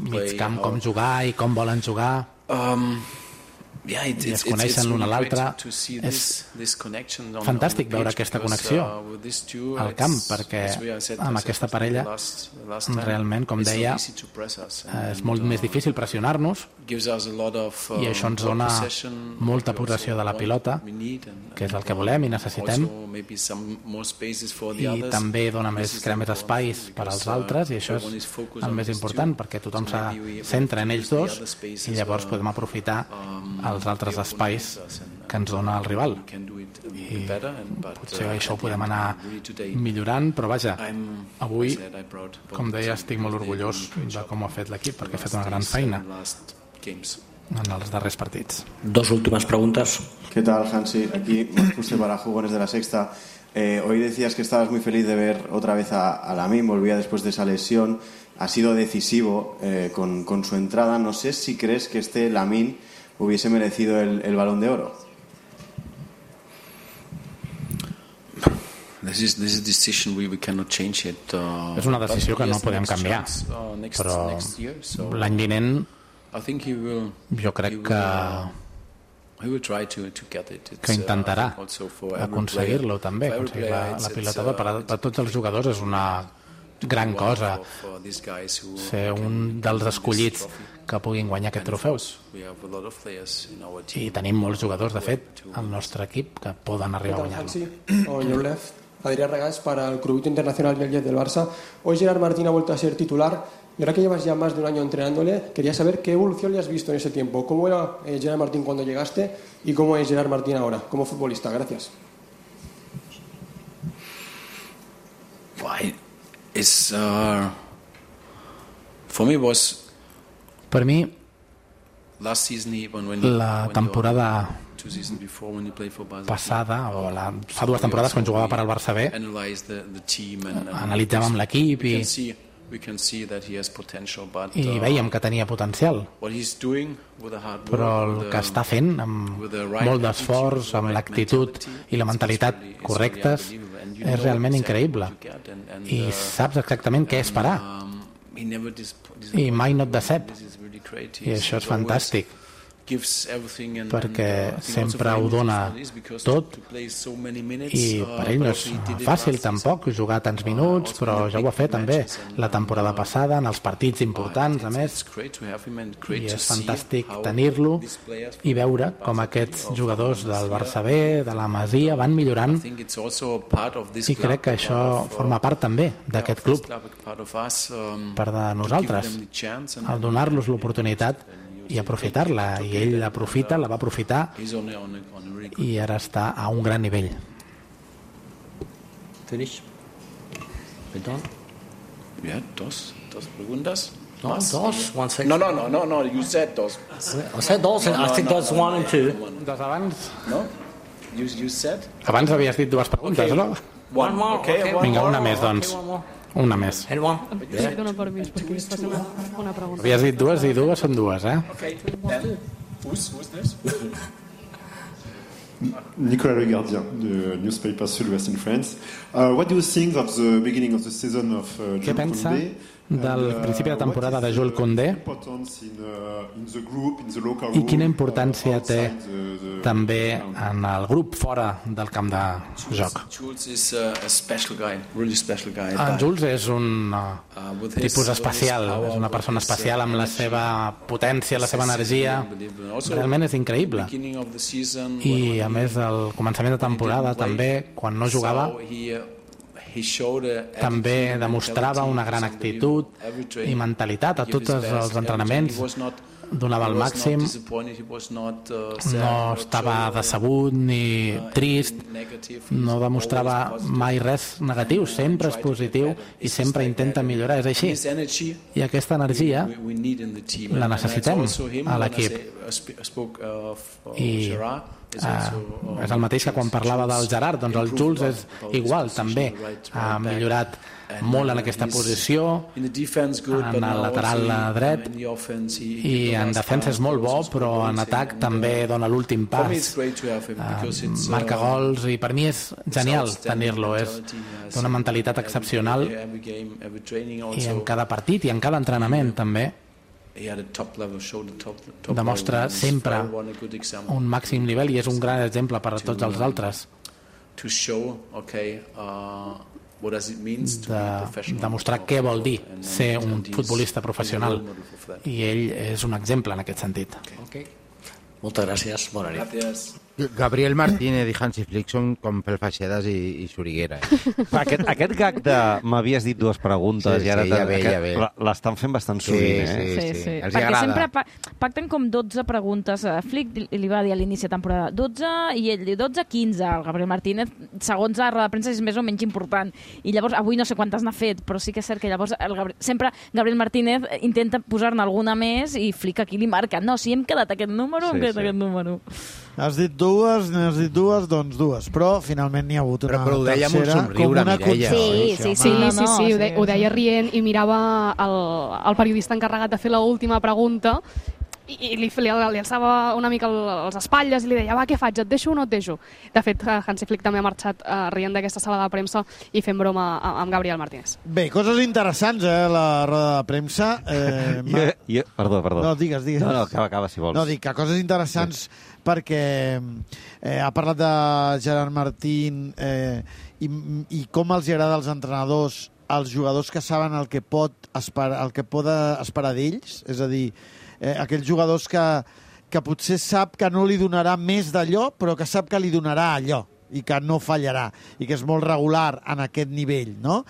Speaker 20: mig camp com jugar i com volen jugar, i es coneixen l'un a l'altre. És fantàstic veure aquesta connexió al camp, perquè amb aquesta parella realment, com deia, és molt més difícil pressionar-nos, i això ens dona molta possessió de la pilota, que és el que volem i necessitem, i també dona crea més espais per als altres, i això és el més important, perquè tothom se centra en ells dos, i llavors podem aprofitar els altres espais que ens dona el rival, i potser això ho podem anar millorant, però vaja, avui, com deia, estic molt orgullós de com ho ha fet l'equip, perquè ha fet una gran feina en els darrers partits.
Speaker 24: Dos últimas preguntas.
Speaker 7: ¿Qué tal, Hansi? Aquí Marcus para Jugones de la Sexta. Hoy decías que estabas muy feliz de ver otra vez a Lamine, volvía después de esa lesión, ha sido decisivo con su entrada. No sé si crees que este Lamine hubiese merecido el Balón de Oro.
Speaker 20: És una decisió que no podem canviar, però l'any vinent jo crec que intentarà aconseguir-lo també, aconseguir la pilota. Per tots els jugadors és una gran cosa ser un dels escollits que puguin guanyar aquest trofeu, i tenim molts jugadors, de fet, al nostre equip que poden arribar a guanyar-lo.
Speaker 25: Adrián Regás para el Club Internacional Viallet del Barça. Hoy Gerard Martín ha vuelto a ser titular, y ahora que llevas ya más de un año entrenándole, quería saber qué evolución le has visto en ese tiempo. ¿Cómo era Gerard Martín cuando llegaste y cómo es Gerard Martín ahora como futbolista? Gracias.
Speaker 20: Per mi, la temporada passada, o fa 2 temporades, quan jugava per al Barça B, analitzàvem l'equip i veiem que tenia potencial, però el que està fent amb molt d'esforç, amb l'actitud i la mentalitat correctes, és realment increïble, i saps exactament què esperar, i mai no et decep, i això és fantàstic. perquè sempre ho dona tot i per ell no és fàcil tampoc jugar tants minuts, però ja ho ha fet també la temporada passada en els partits importants a més, i és fantàstic tenir-lo i veure com aquests jugadors del Barça B, de la Masia van millorant, i crec que això forma part també d'aquest club, per de nosaltres, al donar-los l'oportunitat i aprofitar-la, i ell la va aprofitar i ara està a un gran nivell.
Speaker 4: Perdón.
Speaker 8: Yeah, dos preguntas.
Speaker 4: No, dos. One second.
Speaker 8: No, you said dos.
Speaker 4: I said dos, and I think that's 1 and 2.
Speaker 20: Dos abans?
Speaker 8: No? You said?
Speaker 20: Abans havies dit dues preguntes, no?
Speaker 4: One more. Okay.
Speaker 20: Vinga, una més, doncs. Una més.
Speaker 19: Dona permís perquè es faci una pregunta.
Speaker 20: Havies dit dues i dues són dues, eh?
Speaker 8: Okay, then who's this?
Speaker 10: Nicolas Le Gardien, the newspaper Sud-Ouest in France. What do you think of the beginning of the season of
Speaker 20: Què pensa del principi de temporada de Jules Koundé i quina importància té també en el grup fora del camp de joc? En Jules és un tipus especial, és una persona especial amb la seva potència, la seva energia, realment és increïble. I a més al començament de temporada també, quan no jugava, també demostrava una gran actitud i mentalitat a tots els entrenaments, donava el màxim, no estava decebut ni trist, no demostrava mai res negatiu, sempre és positiu i sempre intenta millorar, és així. I aquesta energia la necessitem a l'equip. I és el mateix que quan parlava del Gerard, doncs el Jules és igual, també ha millorat molt en aquesta posició, en el lateral dret, i en defensa és molt bo, però en atac també dona l'últim pas, marca gols, i per mi és genial tenir-lo, és d'una mentalitat excepcional, i en cada partit i en cada entrenament també demostra sempre un màxim nivell i és un gran exemple per a tots els altres de demostrar què vol dir ser un futbolista professional, i ell és un exemple en aquest sentit.
Speaker 4: Moltes gràcies, bona nit.
Speaker 5: Gabriel Martínez i Hansi Flick són com Pelfeixedes i Soriguera.
Speaker 16: Aquest gag de m'havies dit dues preguntes i ara l'estan fent bastant sovint, eh?
Speaker 15: Sí. Perquè sempre pacten com 12 preguntes. Flick li va dir a l'inici de temporada 12 i ell diu 12-15. El Gabriel Martínez, segons la roda de premsa, és més o menys important. I llavors, avui no sé quantes n'ha fet, però sí que és cert que llavors sempre Gabriel Martínez intenta posar-ne alguna més i Flick aquí li marca. No, si hem quedat aquest número, hem quedat aquest número.
Speaker 3: Has dit dues, doncs dues. Però finalment n'hi ha hagut una tercera.
Speaker 5: Però ho deia amb un somriure, Mireia.
Speaker 19: Sí, ho deia rient i mirava el periodista encarregat de fer l'última pregunta i li alçava una mica les espatlles i li deia, va, què faig, et deixo o no et deixo? De fet, Hansi Flick també ha marxat rient d'aquesta sala de premsa i fent broma amb Gabriel Martínez.
Speaker 3: Bé, coses interessants, la roda de premsa.
Speaker 16: Perdó.
Speaker 3: No, digues.
Speaker 16: No, acaba, si vols.
Speaker 3: No, dic que coses interessants perquè ha parlat de Gerard Martín i com els agrada als entrenadors, als jugadors que saben el que pot esperar d'ells, és a dir, aquells jugadors que potser sap que no li donarà més d'allò, però que sap que li donarà allò i que no fallarà, i que és molt regular en aquest nivell, no?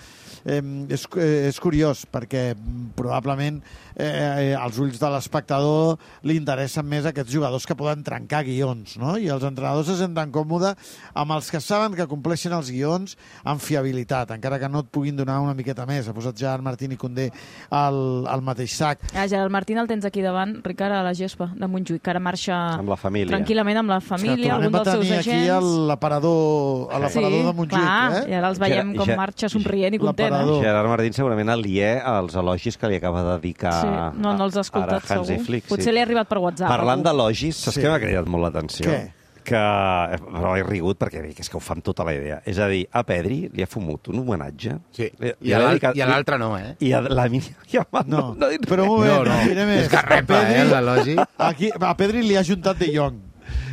Speaker 3: És curiós, perquè probablement als ulls de l'espectador li interessen més aquests jugadors que poden trencar guions, no? I els entrenadors se senten còmodes amb els que saben que compleixen els guions amb fiabilitat, encara que no et puguin donar una miqueta més. Ha posat Gerard Martín i Koundé al mateix sac.
Speaker 15: Gerard Martín el tens aquí davant, Ricard, a la gespa de Montjuïc, que ara marxa
Speaker 16: amb la família.
Speaker 15: Tranquil·lament amb la família, algun dels seus agents.
Speaker 3: Aquí a l'aparador de Montjuïc.
Speaker 15: I ara els veiem com marxa somrient i content.
Speaker 16: Gerard Martín segurament aliè als elogis que li acaba de dedicar
Speaker 15: no els ha escoltat,
Speaker 16: Hansi
Speaker 15: segur.
Speaker 16: Flick.
Speaker 15: Potser li ha arribat per WhatsApp.
Speaker 16: Parlant d'elogis, saps què m'ha cridat molt l'atenció?
Speaker 3: Què?
Speaker 16: Però he rigut perquè és que ho fa amb tota la idea. És a dir, a Pedri li ha fumut un homenatge.
Speaker 5: Sí, i a l'altre no, eh?
Speaker 16: I a la Yamal no ha dit
Speaker 3: però un moment,
Speaker 5: no. És garrepa, l'elogi.
Speaker 3: A Pedri li ha juntat De Jong.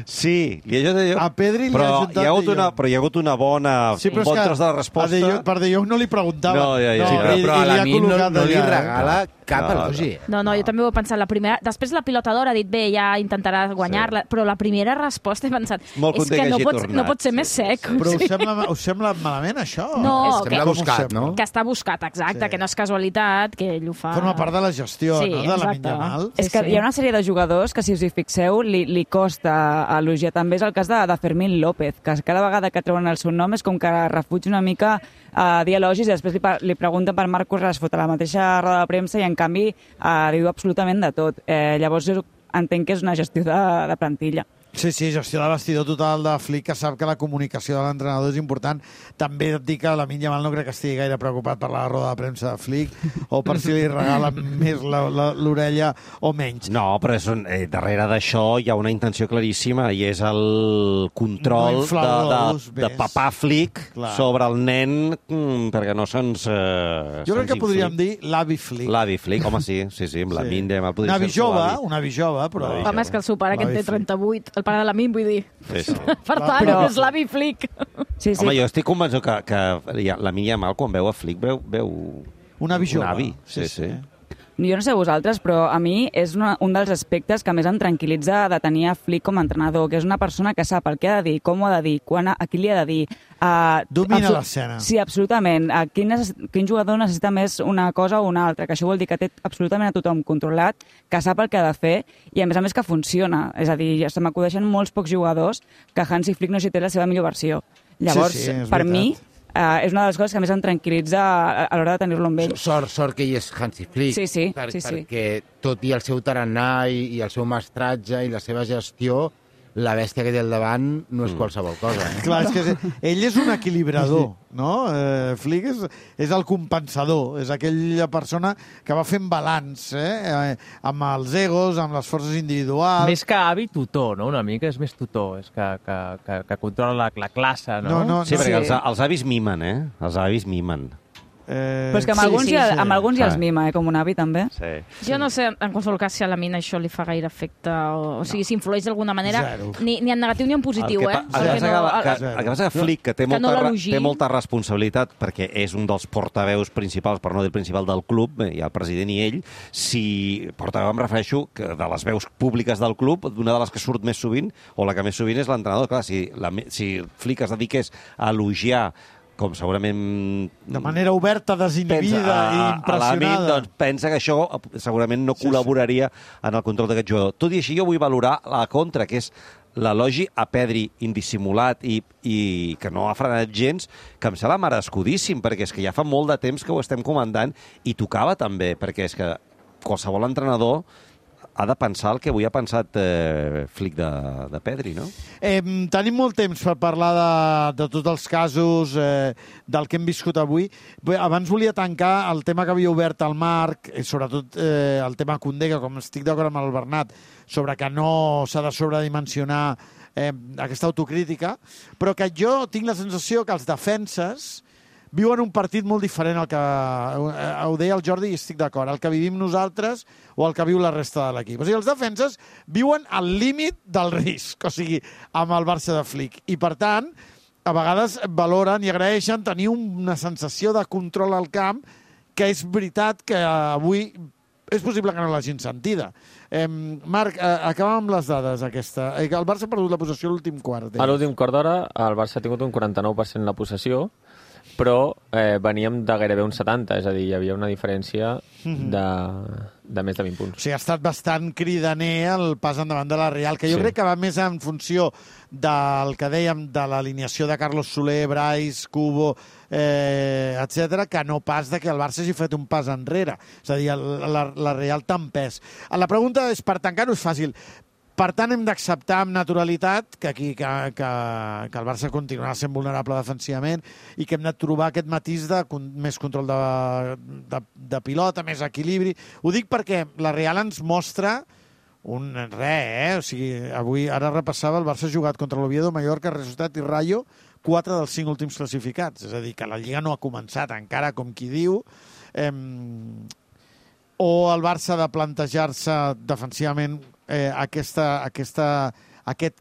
Speaker 16: Sí, li ha juntat
Speaker 3: a Pedri li ha juntat
Speaker 16: hi ha hagut una bona...
Speaker 3: Sí,
Speaker 16: un bon tros de la resposta.
Speaker 3: Per De Jong no li preguntava.
Speaker 5: Però a la mi no li regala cap elogi.
Speaker 15: No, jo també ho he pensat. Després la pilota d'or ha dit, bé, ja intentarà guanyar-la, però la primera resposta he pensat, és que no pot ser més sec.
Speaker 3: Però us sembla malament, això?
Speaker 15: No,
Speaker 5: sembla buscat, no?
Speaker 15: Que està buscat, exacte, que no és casualitat, que ell ho fa...
Speaker 3: Forma part de la gestió, no?, de la Yamal.
Speaker 2: És que hi ha una sèrie de jugadors que, si us hi fixeu, li costa elogiar. També és el cas de Fermín López, que cada vegada que treuen el seu nom és com que refuig una mica a dir elogis i després li pregunten per Marcos Rashford a la mateixa roda de premsa i en canvi li diu absolutament de tot. Llavors jo entenc que és una gestió de plantilla.
Speaker 3: Sí, gestió de vestidor total de Flick, que sap que la comunicació de l'entrenador és important. També et dic que Lamine Yamal no crec que estigui gaire preocupat per la roda de premsa de Flick o per si li regala més l'orella o menys.
Speaker 16: No, però darrere d'això hi ha una intenció claríssima i és el control de papà Flick sobre el nen perquè no se'ns...
Speaker 3: Jo crec que podríem dir l'avi Flick.
Speaker 16: L'avi Flick, home, sí, amb Lamine Yamal.
Speaker 3: Un avi jove, però...
Speaker 15: Home, és que el seu pare, que en té 38, el pare de l'Amin, vull dir.
Speaker 16: Sí.
Speaker 15: Per tant, és l'avi Flick.
Speaker 16: Home, jo estic convençut que Lamine Yamal, quan veu a Flick, veu
Speaker 3: un avi jove.
Speaker 16: Un avi, sí.
Speaker 2: Jo no sé vosaltres, però a mi és un dels aspectes que més em tranquil·litza de tenir a Flick com a entrenador, que és una persona que sap el que ha de dir, com ho ha de dir, a qui li ha de dir.
Speaker 3: Domina l'escena.
Speaker 2: Sí, absolutament. Quin jugador necessita més una cosa o una altra, que això vol dir que té absolutament a tothom controlat, que sap el que ha de fer i, a més que funciona. És a dir, se m'acudeixen molts pocs jugadors que Hansi Flick no s'hi té la seva millor versió. Llavors, per mi... és una de les coses que més em tranquil·litza a l'hora de tenir-lo amb ell.
Speaker 5: Sort que hi és Hansi Flick.
Speaker 2: Sí.
Speaker 5: Perquè tot i el seu tarannà i el seu mestratge i la seva gestió, la bèstia que té al davant no és qualsevol cosa.
Speaker 3: Clar, és que ell és un equilibrador, no? Flick és el compensador, és aquella persona que va fent balanç, amb els egos, amb les forces individuals.
Speaker 17: Més que avi, tutor, no? Una mica és més tutor, és que controla la classe, no?
Speaker 16: Sí, perquè els avis mimen, Els avis mimen.
Speaker 2: Però és que amb alguns ja els mima, com un avi, també.
Speaker 16: Sí.
Speaker 15: Jo no sé, en qualsevol cas, si a la mina això li fa gaire efecte, o sigui, si influeix d'alguna manera, ni en negatiu ni en positiu,
Speaker 16: El que passa que Flick, que té molta responsabilitat, perquè és un dels portaveus principals, per no dir el principal del club, hi ha el president i ell, si portaveu em refereixo que de les veus públiques del club, una de les que surt més sovint, o la que més sovint és l'entrenador. Clar, si Flick es dediqués a elogiar com segurament...
Speaker 3: De manera oberta, desinhibida i impressionada.
Speaker 16: Doncs pensa que això segurament no col·laboraria en el control d'aquest jugador. Tot i així, jo vull valorar la contra, que és l'elogi a Pedri indissimulat i que no ha frenat gens, que em sembla merescudíssim, perquè és que ja fa molt de temps que ho estem comentant i tocava també, perquè és que qualsevol entrenador ha de pensar el que avui ha pensat Flick de Pedri, no?
Speaker 3: Tenim molt temps per parlar de tots els casos, del que hem viscut avui. Abans volia tancar el tema que havia obert el Marc, sobretot el tema Koundé, que com estic d'acord amb el Bernat, sobre que no s'ha de sobredimensionar aquesta autocrítica, però que jo tinc la sensació que els defenses viuen un partit molt diferent al que ho deia el Jordi i estic d'acord, el que vivim nosaltres o el que viu la resta de l'equip. O sigui, els defenses viuen al límit del risc, o sigui, amb el Barça de Flick. I, per tant, a vegades valoren i agraeixen tenir una sensació de control al camp que és veritat que avui és possible que no l'hagin sentida. Marc, acabem amb les dades aquesta. El Barça ha perdut la possessió a l'últim quart.
Speaker 17: A l'últim quart d'hora el Barça ha tingut un 49% la possessió, però veníem de gairebé un 70, és a dir, hi havia una diferència de més de 20 punts.
Speaker 3: O sigui, ha estat bastant cridaner el pas endavant de la Real, que jo crec que va més en funció del que dèiem de l'alineació de Carlos Soler, Brais, Cubo, etc., que no pas de que el Barça hagi fet un pas enrere. És a dir, la Real tan pes. La pregunta és, per tancar-ho és fàcil. Per tant, hem d'acceptar amb naturalitat que el Barça continuarà sent vulnerable defensivament i que hem de trobar aquest matís de més control de pilota, més equilibri. Ho dic perquè la Real ens mostra O sigui, avui, ara repassava, el Barça ha jugat contra l'Oviedo, Mallorca, Real Societat i Rayo, 4 dels 5 últims classificats. És a dir, que la Lliga no ha començat encara, com qui diu. O el Barça ha de plantejar-se defensivament aquest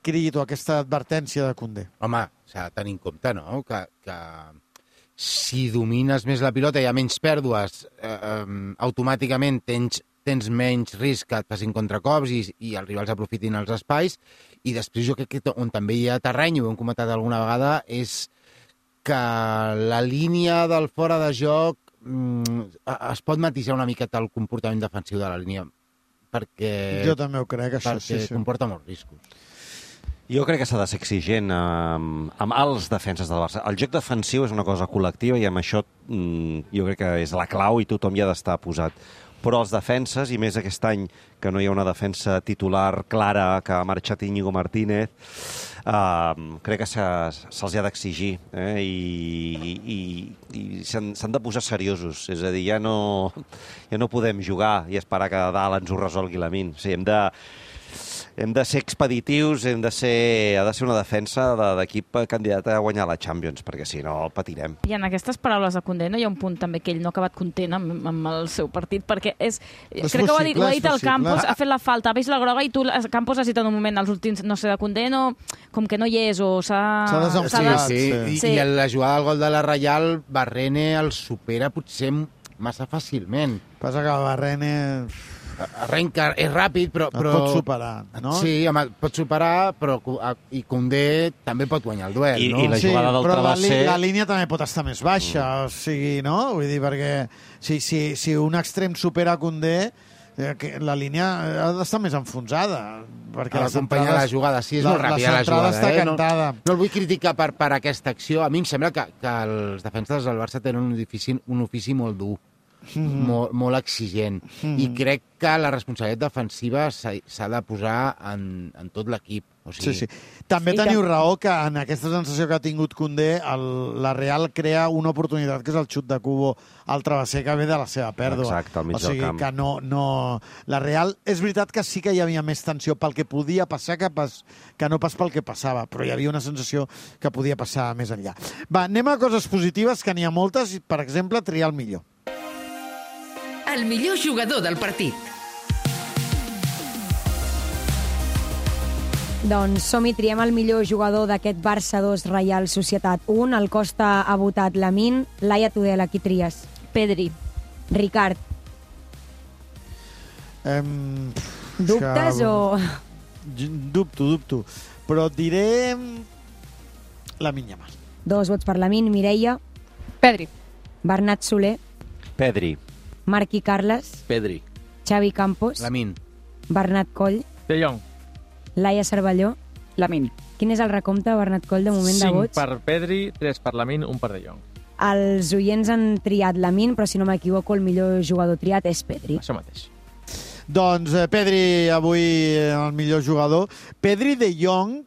Speaker 3: crit o aquesta advertència de Koundé.
Speaker 5: Home, s'ha de tenir en compte, no?, que si domines més la pilota i hi ha menys pèrdues, automàticament tens menys risc que et facin contracops i els rivals aprofitin els espais. I després jo crec que on també hi ha terreny, ho hem comentat alguna vegada, és que la línia del fora de joc es pot matisar una miqueta el comportament defensiu de la línia, perquè...
Speaker 3: Jo també ho crec, això,
Speaker 5: perquè comporta molts riscos.
Speaker 16: Jo crec que s'ha de ser exigent amb els defenses del Barça. El joc defensiu és una cosa col·lectiva i amb això jo crec que és la clau i tothom hi ha d'estar posat. Però els defenses, i més aquest any que no hi ha una defensa titular clara, que ha marxat Íñigo Martínez, crec que se'ls ha d'exigir i s'han de posar seriosos. És a dir, ja no podem jugar i esperar que a dalt ens ho resolgui la Min. O sigui, hem de ser expeditius, ha de ser una defensa d'equip candidat a guanyar la Champions, perquè si no patirem.
Speaker 15: I en aquestes paraules de Koundé no hi ha un punt també que ell no ha acabat content amb el seu partit, perquè crec que ho ha dit el Campos, ha fet la falta, ha vist la groga i tu, Campos, has dit en un moment, els últims, no sé, de Koundé, com que no hi és o s'ha
Speaker 5: desenfocat. Sí. I la jugada del gol de la Reial, Barrene el supera potser massa fàcilment.
Speaker 3: Passa que Barrene...
Speaker 5: Arrenca, és ràpid, però...
Speaker 3: Et pot superar, no?
Speaker 5: Sí, home, pot superar, però i Koundé també pot guanyar el duel, no?
Speaker 16: I la jugada del travesser...
Speaker 3: La línia també pot estar més baixa, o sigui, no? Vull dir, perquè si un extrem supera Koundé, la línia ha d'estar més enfonsada. Perquè
Speaker 5: acompanyar la jugada, sí, és molt ràpida la jugada.
Speaker 3: Està cantada.
Speaker 5: No el vull criticar per aquesta acció. A mi em sembla que els defenses del Barça tenen un ofici molt dur. Molt exigent. I crec que la responsabilitat defensiva s'ha de posar en tot l'equip. O sigui...
Speaker 3: Sí. També teniu raó que en aquesta sensació que ha tingut Koundé, la Real crea una oportunitat que és el xut de Kubo al travesser que ve de la seva pèrdua.
Speaker 16: Exacte, al mig del camp.
Speaker 3: Que no... La Real, és veritat que sí que hi havia més tensió pel que podia passar que no pas pel que passava, però hi havia una sensació que podia passar més enllà. Va, anem a coses positives, que n'hi ha moltes, per exemple, triar el millor.
Speaker 1: El millor jugador del partit.
Speaker 11: Doncs som-hi, triem el millor jugador d'aquest Barça 2, Reial Societat 1. El Costa ha votat Lamine. Laia Tudela, qui tries?
Speaker 15: Pedri.
Speaker 11: Ricard. Dubtes o...?
Speaker 3: Dubto. Però et diré Lamine Yamal.
Speaker 11: 2 vots per Lamine. Mireia.
Speaker 19: Pedri.
Speaker 11: Bernat Soler.
Speaker 16: Pedri.
Speaker 11: Marc i Carles.
Speaker 17: Pedri.
Speaker 11: Xavi Campos.
Speaker 5: Lamine.
Speaker 11: Bernat Coll.
Speaker 17: De Jong.
Speaker 11: Laia Cervelló.
Speaker 2: Lamine.
Speaker 11: Quin és el recompte, Bernat Coll, de moment de vots?
Speaker 17: 5 per Pedri, 3 per Lamine, 1 per De Jong.
Speaker 11: Els oients han triat Lamine, però si no m'equivoco, el millor jugador triat és Pedri.
Speaker 17: Això mateix.
Speaker 3: Doncs Pedri avui el millor jugador. Pedri, De Jong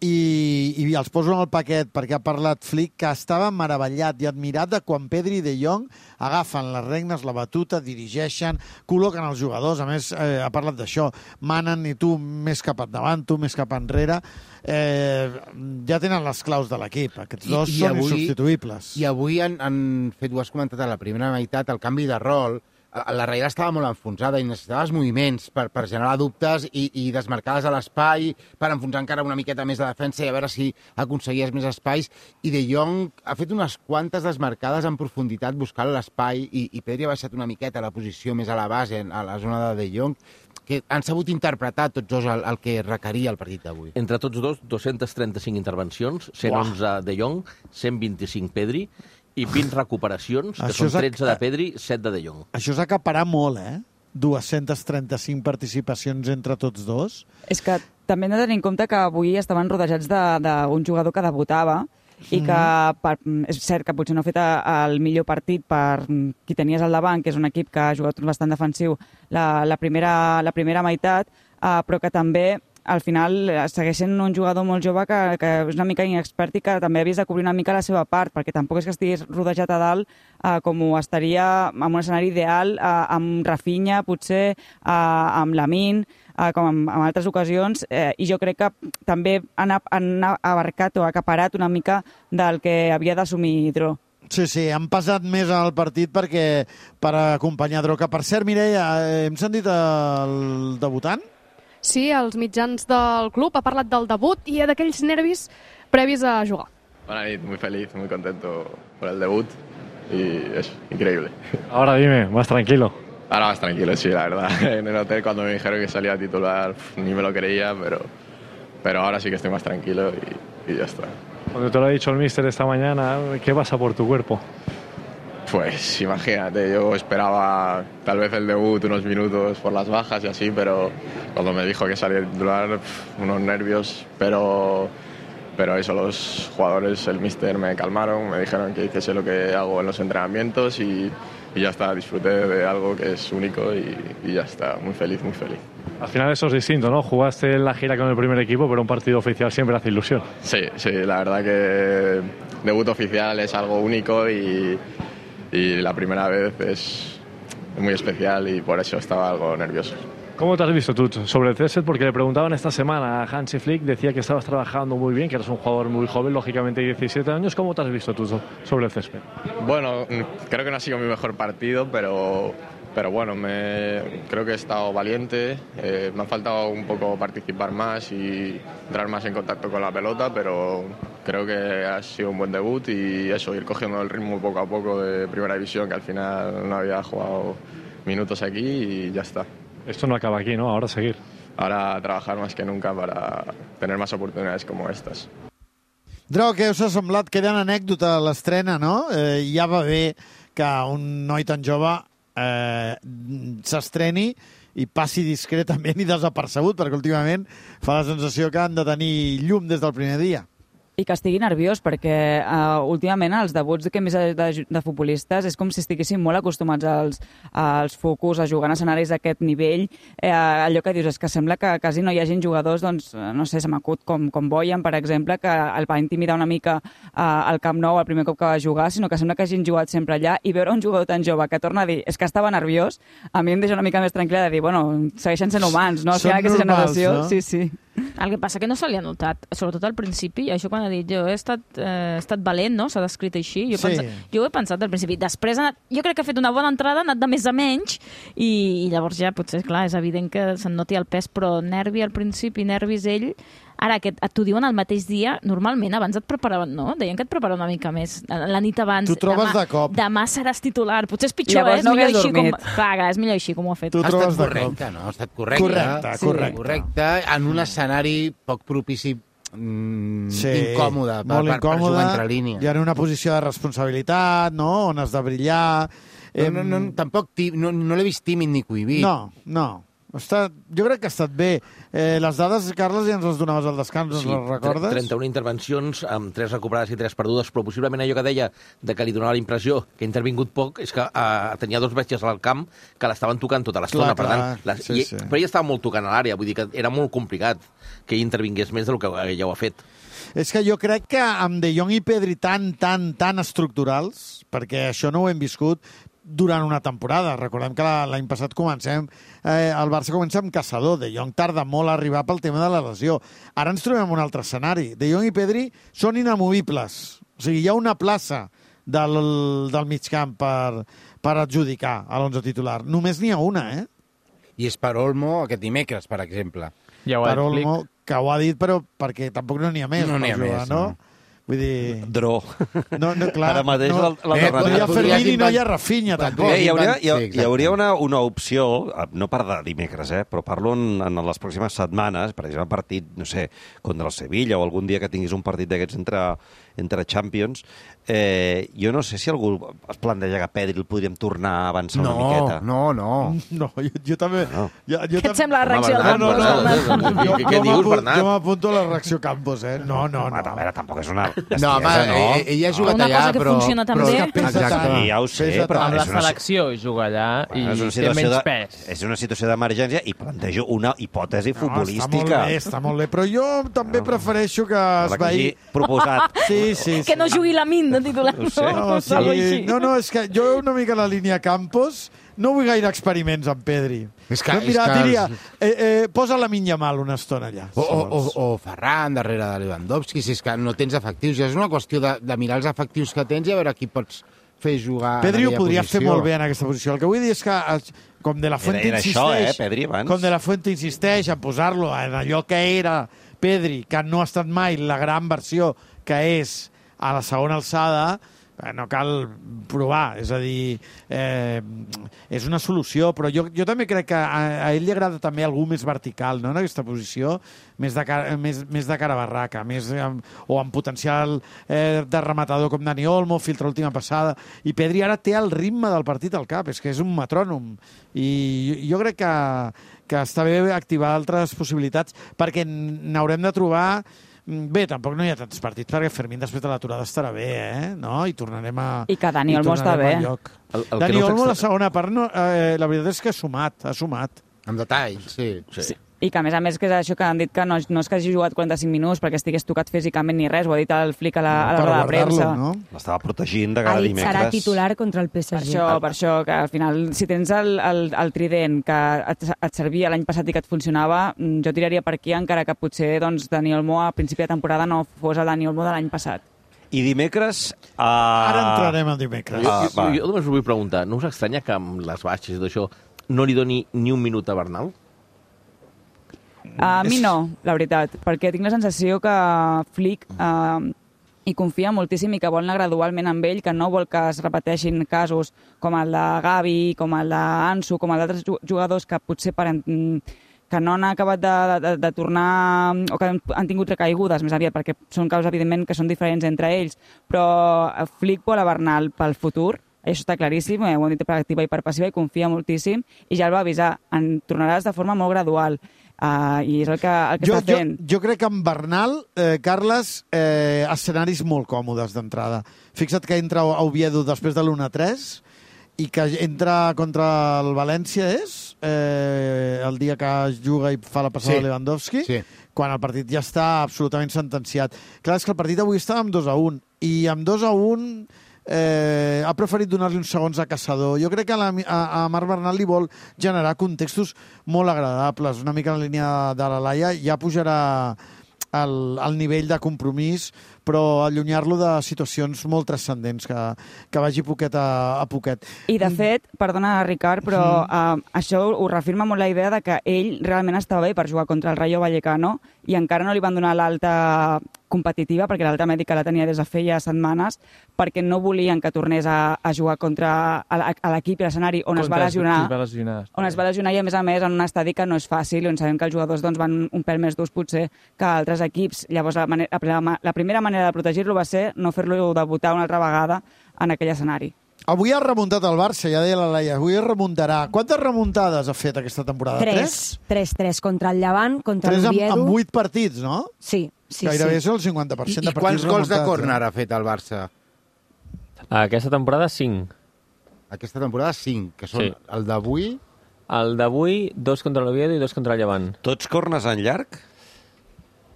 Speaker 3: i els poso en el paquet perquè ha parlat Flick, que estava meravellat i admirat de quan Pedri i De Jong agafen les regnes, la batuta, dirigeixen, col·loquen els jugadors. A més, ha parlat d'això. Manen i tu més cap endavant, tu més cap enrere. Ja tenen les claus de l'equip. Aquests dos són insubstituïbles.
Speaker 5: I avui han fet, ho has comentat a la primera meitat, el canvi de rol. La Reial estava molt enfonsada i necessitava els moviments per generar dubtes i desmarcades a l'espai, per enfonsar encara una miqueta més de defensa i a veure si aconseguies més espais. I De Jong ha fet unes quantes desmarcades en profunditat buscant l'espai i Pedri ha baixat una miqueta la posició més a la base, a la zona de De Jong, que han sabut interpretar tots dos el que requeria el partit d'avui.
Speaker 12: Entre tots dos, 235 intervencions, 111 De Jong, 125 Pedri, i 20 recuperacions, que són 13 de Pedri, 7 de Jong.
Speaker 3: Això és acaparar molt, 235 participacions entre tots dos.
Speaker 2: És que també hem de tenir en compte que avui estaven rodejats d'un jugador que debutava i que és cert que potser no ha fet el millor partit per qui tenies al davant, que és un equip que ha jugat bastant defensiu la primera meitat, però que també al final segueix sent un jugador molt jove que és una mica inexpert i que també ha vist de cobrir una mica la seva part, perquè tampoc és que estigués rodejat a dalt com ho estaria en un escenari ideal amb Rafinha, potser amb Lamine, com en altres ocasions, i jo crec que també han abarcat o acaparat una mica del que havia d'assumir Dro.
Speaker 3: Sí, han passat més al partit per acompanyar Dro. Que, per cert, Mireia, hem sentit el debutant?
Speaker 19: Sí, als mitjans del club ha parlat del debut i d'aquells nervis previs a jugar.
Speaker 13: Buena nit, muy feliz, muy contento por el debut y es increíble.
Speaker 14: Ahora dime, más tranquilo.
Speaker 13: Ahora más tranquilo, sí, la verdad. En el hotel cuando me dijeron que salía a titular ni me lo creía, pero ahora sí que estoy más tranquilo y ya está.
Speaker 14: Cuando te lo ha dicho el míster esta mañana, ¿qué pasa por tu cuerpo?
Speaker 13: Pues imagínate, yo esperaba tal vez el debut unos minutos por las bajas y así, pero cuando me dijo que salía a titular, unos nervios, pero eso, los jugadores, el míster me calmaron, me dijeron que hiciese lo que hago en los entrenamientos y ya está, disfruté de algo que es único y ya está, muy feliz, muy feliz.
Speaker 14: Al final eso es distinto, ¿no? Jugaste en la gira con el primer equipo, pero un partido oficial siempre hace ilusión.
Speaker 13: Sí, la verdad que debut oficial es algo único y la primera vez es muy especial y por eso estaba algo nervioso.
Speaker 14: ¿Cómo te has visto tú sobre el césped? Porque le preguntaban esta semana a Hansi Flick, decía que estabas trabajando muy bien, que eres un jugador muy joven, lógicamente 17 años. ¿Cómo te has visto tú sobre el césped?
Speaker 13: Bueno, creo que no ha sido mi mejor partido, pero bueno, creo que he estado valiente. Me ha faltado un poco participar más y entrar más en contacto con la pelota, pero creo que ha sido un buen debut y eso, ir cogiendo el ritmo poco a poco de primera división, que al final no había jugado minutos aquí y ya está.
Speaker 14: Esto no acaba aquí, ¿no? Ahora seguir.
Speaker 13: Ahora trabajar más que nunca para tener más oportunidades como estas.
Speaker 3: Dro, què us ha semblat? Queda una anècdota a l'estrena, no? Ja va bé que un noi tan jove s'estreni i passi discretament i desapercebut, perquè últimament fa la sensació que han de tenir llum des del primer dia.
Speaker 2: I que estigui nerviós, perquè últimament els debuts que més de futbolistes és com si estiguessin molt acostumats als focus, a jugar en escenaris d'aquest nivell. Allò que dius és que sembla que quasi no hi hagin jugadors, doncs, no sé, se m'acut com Boyan, per exemple, que el va intimidar una mica al Camp Nou el primer cop que va jugar, sinó que sembla que hagin jugat sempre allà, i veure un jugador tan jove que torna a dir és que estava nerviós, a mi em deixa una mica més tranquil·la de dir, bueno, segueixen sent humans, no?
Speaker 3: Són normals, no?
Speaker 2: Sí.
Speaker 15: El que passa que no se li ha notat, sobretot al principi, això quan ha dit jo he estat valent, no? S'ha descrit així. Jo ho he pensat al principi. Després jo crec que ha fet una bona entrada, ha anat de més a menys, i llavors ja potser, clar, és evident que se'n noti el pes, però nervi al principi, nervis ell. Ara, que t'ho diuen el mateix dia, normalment abans et preparaven, no? Deien que et preparaven una mica més. La nit abans,
Speaker 3: tu trobes de cop.
Speaker 15: Demà seràs titular. Potser és pitjor,
Speaker 2: llavors no hagués dormit.
Speaker 15: Clar, és millor així com ho ha fet.
Speaker 5: Ha estat correcte, no? Ha estat correcte. Correcte, en un escenari poc propici, incòmode, per jugar entre línies.
Speaker 3: I en una posició de responsabilitat, no?, on has de brillar.
Speaker 5: Tampoc no l'he vist tímid ni cohibit.
Speaker 3: No. Jo crec que ha estat bé. Les dades, Carles, ja ens les donaves al descans, sí, les recordes?
Speaker 12: 31 intervencions, amb 3 recuperades i 3 perdudes, però possiblement allò que deia de que li donava la impressió que ha intervingut poc és que tenia 2 bèsties al camp que l'estaven tocant tota l'estona. Per tant, però ella estava molt tocant a l'àrea, vull dir que era molt complicat que ell intervingués més del que ella ho ha fet.
Speaker 3: És que jo crec que amb De Jong i Pedri tan estructurals, perquè això no ho hem viscut durant una temporada. Recordem que l'any passat el Barça comença amb Caçador. De Jong tarda molt a arribar pel tema de la lesió. Ara ens trobem en un altre escenari. De Jong i Pedri són inamovibles. O sigui, hi ha una plaça del migcamp per adjudicar a l'11 titular. Només n'hi ha una,
Speaker 5: I és per Olmo aquest dimecres, per exemple.
Speaker 3: Per Olmo, que ho ha dit, però perquè tampoc no n'hi ha més.
Speaker 5: No n'hi ha més, no?
Speaker 3: Vull dir...
Speaker 16: Dro.
Speaker 3: No, clar.
Speaker 16: Ara mateix
Speaker 3: no hi ha Fermín i no hi ha Rafinha, tampoc.
Speaker 16: Hi hauria una opció, no per de dimecres, però parlo en les pròximes setmanes, per exemple, partit, no sé, contra el Sevilla o algun dia que tinguis un partit d'aquests entre Champions, jo no sé si algú es planteja que Pedri el podríem tornar a avançar una miqueta.
Speaker 5: No,
Speaker 3: jo també...
Speaker 15: Què et sembla la reacció del Campos?
Speaker 12: Què dius, Bernat?
Speaker 3: Jo m'apunto a la reacció Campos, No.
Speaker 16: A veure, tampoc és una...
Speaker 5: No, home, ella ha jugat allà,
Speaker 15: però... Una cosa que funciona també...
Speaker 5: Exacte.
Speaker 16: Ja ho sé, però...
Speaker 17: Amb la selecció juga allà i té menys pes.
Speaker 16: És una situació d'emergència i plantejo una hipòtesi futbolística.
Speaker 3: Està molt bé, però jo també prefereixo que es vegi...
Speaker 16: Proposat.
Speaker 3: Sí.
Speaker 15: Que no jugui la Min de titular.
Speaker 3: No, és que jo una mica la línia Campos no vull gaire experiments amb Pedri. Diria, posa la Lamine Yamal una estona allà.
Speaker 5: O Ferran darrere de Lewandowski, si és que no tens efectius. És una qüestió de mirar els efectius que tens i a veure qui pots fer jugar
Speaker 3: Pedri
Speaker 5: en
Speaker 3: ho
Speaker 5: aquella
Speaker 3: podria
Speaker 5: posició.
Speaker 3: fer molt bé en aquesta posició. El que vull dir és que, com De La Fuente insisteix...
Speaker 16: Pedri, abans.
Speaker 3: Com De La Fuente insisteix a posar-lo en allò que era Pedri, que no ha estat mai la gran versió que és a la segona alçada, no cal provar, és a dir, és una solució, però jo també crec que a ell li agrada també algú més vertical, no?, en aquesta posició, més de cara a barraca, o amb potencial de rematador com Dani Olmo, filtra última passada, i Pedri ara té el ritme del partit al cap, és que és un metrònom, i jo crec que està bé activar altres possibilitats, perquè n'haurem de trobar... Bé, tampoc no hi ha tants partits, perquè Fermín després de l'aturada estarà bé, no? I tornarem a...
Speaker 2: I que Dani Olmo està bé.
Speaker 3: Dani Olmo, la segona part, la veritat és que ha sumat.
Speaker 5: Amb detall, sí.
Speaker 2: I que, a més, que és això que han dit que no és que hagi jugat 45 minuts perquè estigués tocat físicament ni res, ho ha dit el Flick a la roda de premsa.
Speaker 3: No?
Speaker 16: L'estava protegint de cada dimecres.
Speaker 11: Serà titular contra el PSG.
Speaker 2: Per això, que al final, si tens el trident que et servia l'any passat i que et funcionava, jo tiraria per aquí, encara que potser Dani Olmo a principi de temporada no fos el Dani Olmo de l'any passat.
Speaker 16: I dimecres...
Speaker 3: Ara entrarem al dimecres.
Speaker 12: Jo només us vull preguntar, no us estranya que amb les baixes i tot això no li doni ni un minut a Bernal?
Speaker 2: A mi no, la veritat, perquè tinc la sensació que Flick hi confia moltíssim i que vol anar gradualment amb ell, que no vol que es repeteixin casos com el de Gavi, com el d'Ansu, com el d'altres jugadors que potser que no han acabat de tornar o que han tingut recaigudes més aviat, perquè són casos, evidentment, que són diferents entre ells, però Flick vol a Bernal pel futur, això està claríssim, ho hem dit per activa i per passiva, i confia moltíssim, i ja el va avisar, en tornaràs de forma molt gradual. I és el que està fent.
Speaker 3: Jo crec que amb Bernal, Carles, escenaris molt còmodes d'entrada. Fixa't que entra a Oviedo després de l'1-3 i que entra contra el València, el dia que es juga i fa la passada de Lewandowski, quan el partit ja està absolutament sentenciat. Clar, és que el partit avui estava amb 2-1, i amb 2-1 ha preferit donar-li uns segons a Caçador. Jo crec que a Marc Bernal li vol generar contextos molt agradables, una mica en la línia de la Laia, ja pujarà el nivell de compromís, però allunyar-lo de situacions molt transcendents, que vagi poquet a poquet.
Speaker 2: I de fet, perdona Ricard, però això ho reafirma molt la idea de que ell realment estava bé per jugar contra el Rayo Vallecano i encara no li van donar l'alta competitiva, perquè l'alta mèdica la tenia des de feia setmanes, perquè no volien que tornés a jugar contra l'equip i l'escenari on es va lesionar. On es va lesionar, i a més en un estadi que no és fàcil, on sabem que els jugadors van un pèl més durs potser que altres equips. Llavors la primera manera de protegir-lo va ser no fer-lo debutar una altra vegada en aquell escenari.
Speaker 3: Avui ha remuntat el Barça, ja deia la Laia, avui remuntarà. Quantes remuntades ha fet aquesta temporada?
Speaker 11: 3 contra el Llevant, contra l'Oviedo.
Speaker 3: Amb 8 partits, no?
Speaker 11: Sí.
Speaker 3: Gairebé és el 50% de partits remuntats.
Speaker 5: I quants gols de córner ha fet el Barça?
Speaker 17: Aquesta temporada 5.
Speaker 5: Aquesta temporada 5, que són el d'avui...
Speaker 17: El d'avui, 2 contra l'Oviedo i 2 contra el Llevant.
Speaker 16: Tots corners en llarg?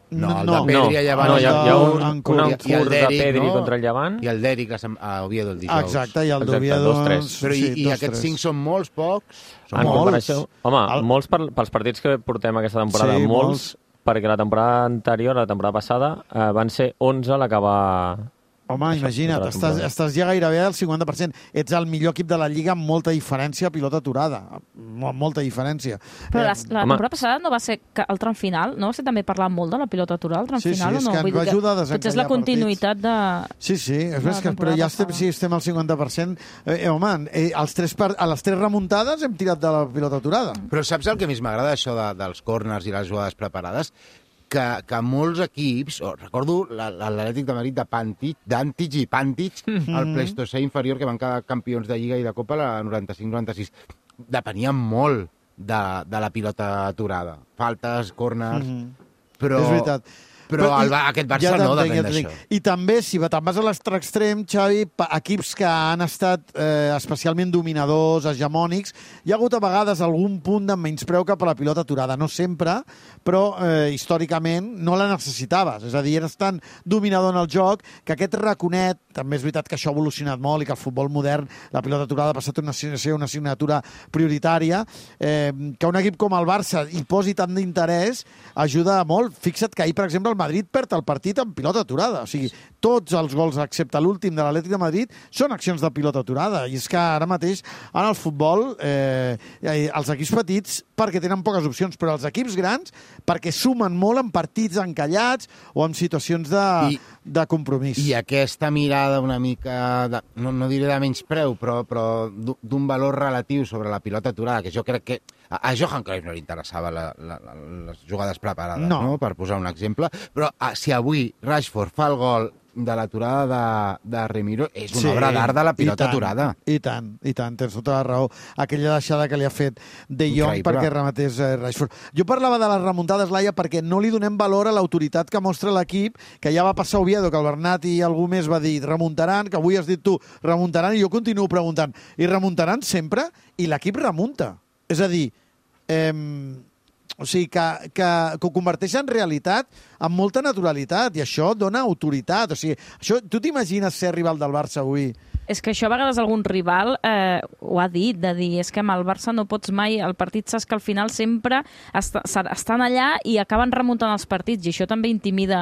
Speaker 5: No, el de Pedri a Llevant.
Speaker 17: No, hi ha un curt de Pedri contra el Llevant.
Speaker 5: I el d'Eric a Oviedo el dijous.
Speaker 3: Exacte, i el d'Oviedo...
Speaker 5: Però i aquests 5 són molts, pocs?
Speaker 17: En comparació... Home, molts pels partits que portem aquesta temporada. Molts, perquè la temporada anterior, la temporada passada, van ser 11 l'acabar...
Speaker 3: Home, imagina't, estàs ja gairebé al 50%. Ets el millor equip de la Lliga amb molta diferència a pilota aturada. Molta diferència.
Speaker 15: Però la temporada passada no va ser el tram final? No va ser també parlar molt de la pilota aturada, el tram final?
Speaker 3: Sí, és que ens va ajudar a desencallar
Speaker 15: potser és la continuïtat de...
Speaker 3: Sí, però ja estem al 50%. Home, a les 3 remuntades hem tirat de la pilota aturada.
Speaker 5: Però saps el que més m'agrada, això dels corners i les jugades preparades? Que molts equips, recordo l'Atlètic de Madrid d'Antic i Pantic, el Pleistocè inferior, que van quedar campions de Lliga i de Copa la 95-96, depenien molt de la pilota aturada. Faltes, corners... Però...
Speaker 3: És veritat.
Speaker 5: Però aquest Barça no depèn d'això.
Speaker 3: I també, si te'n vas a l'altre extrem, Xavi, equips que han estat especialment dominadors, hegemònics, hi ha hagut a vegades algun punt de menyspreu cap a la pilota aturada. No sempre, però històricament no la necessitaves. És a dir, eres tan dominador en el joc que aquest raconet, també és veritat que això ha evolucionat molt i que el futbol modern, la pilota aturada ha passat a ser una assignatura prioritària, que un equip com el Barça hi posi tant d'interès ajuda molt. Fixa't que ahir, per exemple, el Madrid perd el partit amb pilota aturada. O sigui, tots els gols, excepte l'últim de l'Atlètic de Madrid, són accions de pilota aturada. I és que ara mateix, en el futbol, els equips petits perquè tenen poques opcions, però els equips grans perquè sumen molt en partits encallats o en situacions de compromís.
Speaker 5: I aquesta mirada una mica, no diré de menyspreu, però d'un valor relatiu sobre la pilota aturada, que jo crec que a Johan Cruyff no li interessava les jugades preparades, no? Per posar un exemple. Però si avui Rashford fa el gol de l'aturada de Remiro, és una obra d'art de la pilota aturada.
Speaker 3: I tant, tens tota la raó. Aquella deixada que li ha fet De Jong perquè rematés Rashford. Jo parlava de les remuntades, Laia, perquè no li donem valor a l'autoritat que mostra l'equip, que ja va passar a Oviedo, que el Bernat i algú més va dir remuntaran, que avui has dit tu remuntaran, i jo continuo preguntant, i remuntaran sempre? I l'equip remunta. És a dir, o sigui, que ho converteix en realitat amb molta naturalitat, i això dona autoritat. O sigui, això, tu t'imagines ser rival del Barça avui?
Speaker 15: És que això a vegades algun rival ho ha dit, de dir, és que amb el Barça no pots mai, el partit saps que al final sempre estan allà i acaben remuntant els partits, i això també intimida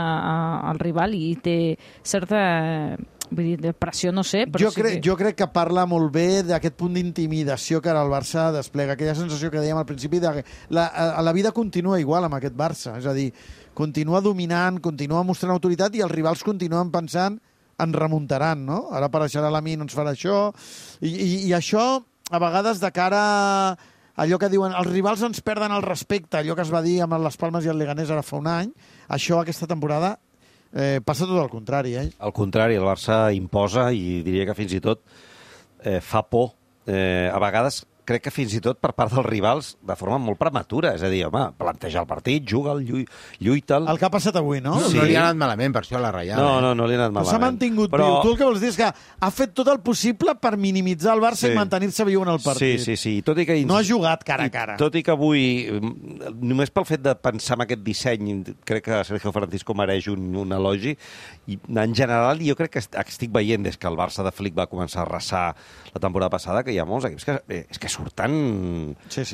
Speaker 15: el rival i té certa... Vull dir, de pressió no sé, però
Speaker 3: jo crec que parla molt bé d'aquest punt d'intimidació que ara el Barça desplega, aquella sensació que dèiem al principi de la vida continua igual amb aquest Barça, és a dir, continua dominant, continua mostrant autoritat i els rivals continuen pensant en remuntaran, no? Ara apareixerà Lamine, ens farà això, i això a vegades de cara a allò que diuen, els rivals ens perden el respecte, allò que es va dir amb les Palmes i el Leganés ara fa un any, això aquesta temporada passa tot el contrari,
Speaker 16: Al contrari, el Barça imposa i diria que fins i tot fa por. A vegades crec que fins i tot per part dels rivals de forma molt prematura. És a dir, home, planteja el partit, juga'l, lluita'l...
Speaker 3: El que ha passat avui, no?
Speaker 5: Sí. No li ha anat malament, per això, a la Reial.
Speaker 16: No li ha anat malament.
Speaker 3: S'ha mantingut viu. Tu el que vols dir és que ha fet tot el possible per minimitzar el Barça i mantenir-se viu en el partit.
Speaker 16: Sí. Tot i que...
Speaker 3: No ha jugat cara a cara.
Speaker 16: Tot i que avui, només pel fet de pensar en aquest disseny, crec que Sergio Francisco mereix un elogi. I en general, jo crec que estic veient des que el Barça de Flick va començar a arrasar la temporada passada, que hi ha molts equips que surten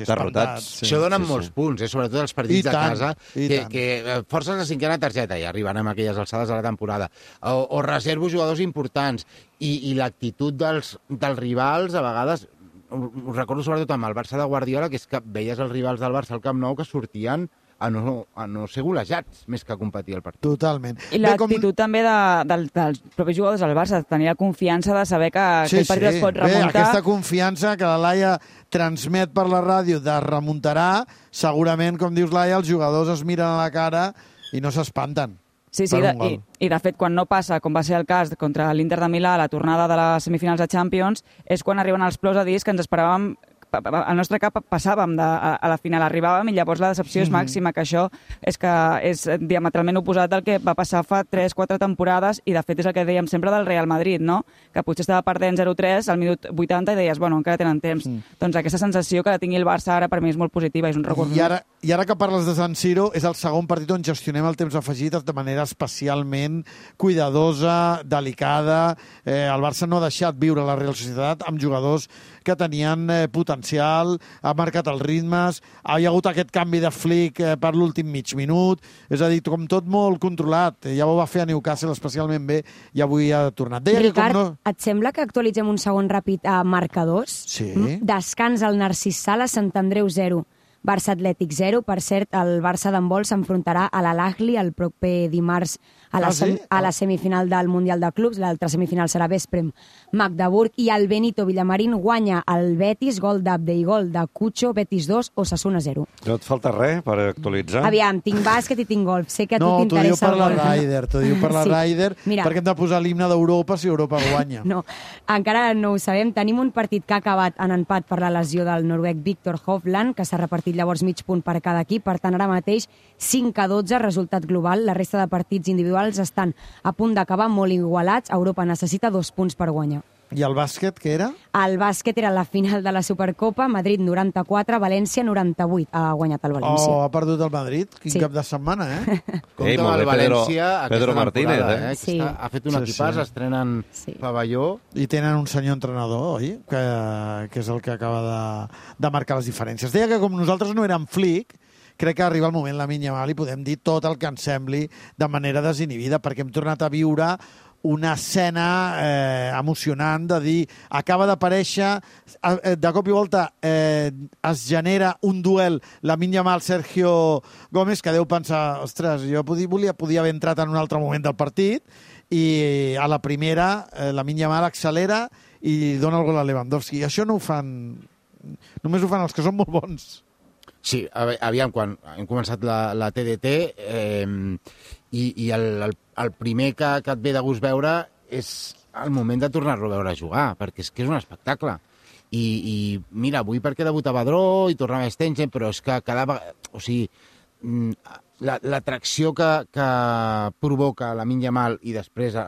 Speaker 16: derrotats.
Speaker 5: Això donen molts punts, sobretot els partits de casa, que forces la cinquena targeta i arriben amb aquelles alçades de la temporada, o reservo jugadors importants, i l'actitud dels rivals, a vegades, ho recordo sobretot amb el Barça de Guardiola, que és que veies els rivals del Barça al Camp Nou que sortien a no ser golejats, més que competir el partit.
Speaker 3: Totalment.
Speaker 2: I l'actitud també dels propis jugadors del Barça, tenir la confiança de saber que aquell partit es pot remuntar.
Speaker 3: Aquesta confiança que la Laia transmet per la ràdio de remuntarà, segurament, com dius, Laia, els jugadors es miren a la cara i no s'espanten.
Speaker 2: Sí, i de fet, quan no passa, com va ser el cas contra l'Inter de Milà, la tornada de les semifinals de Champions, és quan arriben els plors a dir que ens esperàvem al nostre cap passàvem a la final, arribàvem i llavors la decepció és màxima, que això és diametralment oposat del que va passar fa 3-4 temporades, i de fet és el que dèiem sempre del Real Madrid, no? Que potser estava perdent 0-3 al minut 80 i deies, bueno, encara tenen temps. Doncs aquesta sensació que tingui el Barça ara per mi és molt positiva, és un recurs.
Speaker 3: I ara que parles de San Siro, és el segon partit on gestionem el temps afegit de manera especialment cuidadosa, delicada. El Barça no ha deixat viure la Real Societat amb jugadors que tenien potencial, ha marcat els ritmes, ha hagut aquest canvi de Flick per l'últim mig minut, és a dir, com tot molt controlat. Ja ho va fer a Newcastle especialment bé i avui ha tornat.
Speaker 11: Ricard, et sembla que actualitzem un segon ràpid a marcadors?
Speaker 3: Sí.
Speaker 11: Descans al Narcís Sala, Sant Andreu 0. Barça Atlètic 0. Per cert, el Barça d'handbol s'enfrontarà a l'Al-Ahly el proper dimarts a la semifinal del Mundial de Clubs. L'altra semifinal serà Vesprem Magdeburg, i el Benito Villamarín guanya el Betis, gol d'Abde i gol de Cucho, Betis 2, Osasuna 0.
Speaker 16: No et falta res per actualitzar?
Speaker 11: Aviam, tinc bàsquet i tinc golf. Sé que a tu t'interessa el golf.
Speaker 3: T'ho diu per la Ryder,
Speaker 11: Mira,
Speaker 3: perquè hem de posar l'himne d'Europa si Europa guanya.
Speaker 11: No, encara no ho sabem. Tenim un partit que ha acabat en empat per la lesió del noruec Victor Hovland, que s'ha repartit llavors mig punt per cada equip. Per tant, ara mateix 5-12, resultat global. La resta de partits individuals estan a punt d'acabar molt igualats. Europa necessita 2 punts per guanyar.
Speaker 3: I el bàsquet, què era?
Speaker 11: El bàsquet era la final de la Supercopa, Madrid 94, València 98. Ha guanyat el València.
Speaker 3: Ha perdut el Madrid? Quin cap de setmana,
Speaker 5: Compte amb el València
Speaker 16: Pedro Martínez,
Speaker 5: Sí. Ha fet un equipàs, estrenen pavelló.
Speaker 3: I tenen un senyor entrenador, oi? Que és el que acaba de marcar les diferències. Deia que com nosaltres no érem flic, crec que arriba el moment, Lamine Yamal, i podem dir tot el que ens sembli de manera desinhibida, perquè hem tornat a viure una escena emocionant de dir, acaba d'aparèixer, de cop i volta es genera un duel Lamine Yamal-Sergio Gómez, que deu pensar, ostres, jo podia haver entrat en un altre moment del partit, i a la primera Lamine Yamal accelera i dona el gol a Lewandowski. I això no ho fan... Només ho fan els que són molt bons.
Speaker 5: Sí, aviam, quan hem començat la TDT i el primer que et ve de gust veure és el moment de tornar-lo a veure jugar, perquè és que és un espectacle. I mira, avui perquè debutava Badró i tornava Stengen, però és que cada vegada... O sigui, l'atracció que provoca Lamine Yamal i després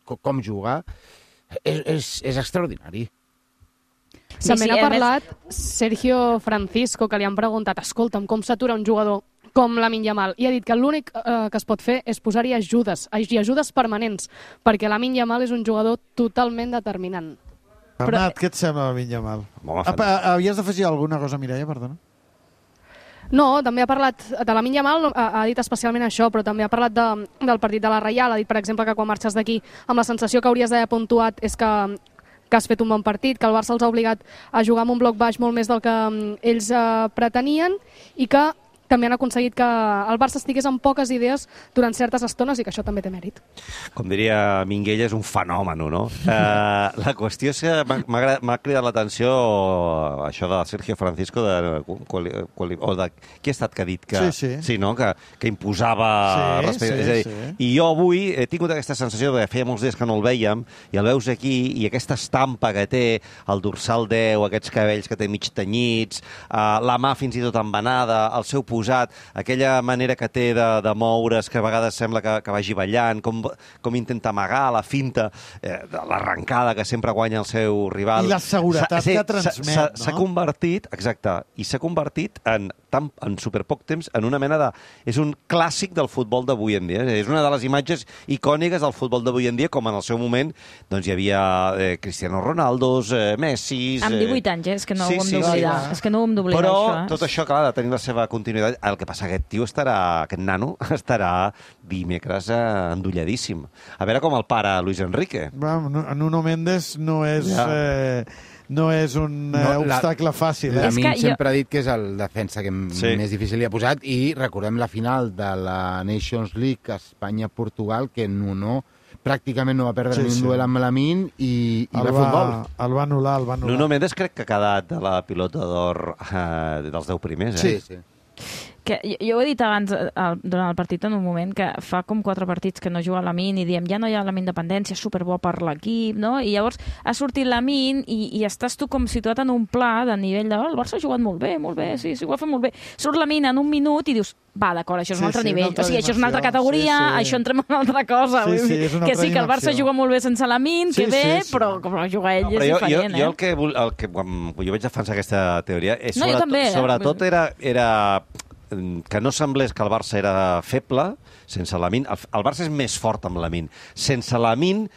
Speaker 5: com juga és extraordinari.
Speaker 19: També n'ha parlat Sergio Francisco, que li han preguntat, escolta'm, com s'atura un jugador com Lamine Yamal, i ha dit que l'únic que es pot fer és posar-hi ajudes, i ajudes permanents, perquè Lamine Yamal és un jugador totalment determinant.
Speaker 3: Bernat, què et sembla Lamine Yamal? Havies d'afegir alguna cosa, Mireia, perdona?
Speaker 19: No, també ha parlat de Lamine Yamal, ha dit especialment això, però també ha parlat del partit de la Reial, ha dit, per exemple, que quan marxes d'aquí amb la sensació que hauries d'haver puntuat és que has fet un bon partit, que el Barça els ha obligat a jugar amb un bloc baix molt més del que ells pretenien, i que també han aconseguit que el Barça estigués amb poques idees durant certes estones i que això també té mèrit.
Speaker 16: Com diria Minguella, és un fenomen, no? La qüestió és que m'ha cridat l'atenció això de Sergio Francisco o de qui ha estat que ha dit que, sí, no? Que imposava respecte. I jo avui he tingut aquesta sensació de que feia molts dies que no el vèiem i el veus aquí i aquesta estampa que té, el dorsal 10, aquests cabells que té mig tenyits, la mà fins i tot embenada, el seu posat, aquella manera que té de moure's, que a vegades sembla que vagi ballant, com intenta amagar la finta, l'arrencada que sempre guanya el seu rival.
Speaker 3: I la seguretat que transmet, no?
Speaker 16: S'ha convertit, exacte, i s'ha convertit en super poc temps en una mena de... És un clàssic del futbol d'avui en dia. És una de les imatges icòniques del futbol d'avui en dia, com en el seu moment doncs hi havia Cristiano Ronaldo, Messi...
Speaker 15: Amb 18 anys, és que no ho hem d'oblidar. És que no ho hem d'oblidar,
Speaker 16: això.
Speaker 15: Però
Speaker 16: tot això, clar, ha de tenir la seva continuïtat. El que passa, aquest nano estarà dimecres endolladíssim. A veure com el para Luis Enrique.
Speaker 3: Nuno Méndez no és... No és un obstacle fàcil.
Speaker 5: Lamine sempre ha dit que és el defensa que més difícil li ha posat, i recordem la final de la Nations League Espanya-Portugal, que Nuno pràcticament no va perdre ni un duel amb Lamine i va futbol.
Speaker 3: El va anul·lar.
Speaker 16: Nuno Méndez crec que ha quedat de la pilota d'or dels 10 primers.
Speaker 3: Sí.
Speaker 15: Que jo ho he dit abans durant el partit en un moment, que fa com 4 partits que no juga Lamine i diem, ja no hi ha Lamine dependència, és superbo per l'equip, no? I llavors ha sortit Lamine i estàs tu com situat en un pla de nivell de el Barça ha jugat molt bé, sí, ho ha fet molt bé. Surt Lamine en un minut i dius, va, d'acord, això és un altre nivell, o sigui, això és una altra categoria, això entrem en una altra cosa. Que sí, que el Barça juga molt bé sense Lamine, que bé, però com jugar ell és diferent.
Speaker 16: Jo el que jo vaig defensar aquesta teoria és
Speaker 15: sobretot
Speaker 16: era que no semblés que el Barça era feble sense Lamine. El Barça és més fort amb Lamine. Sense Lamine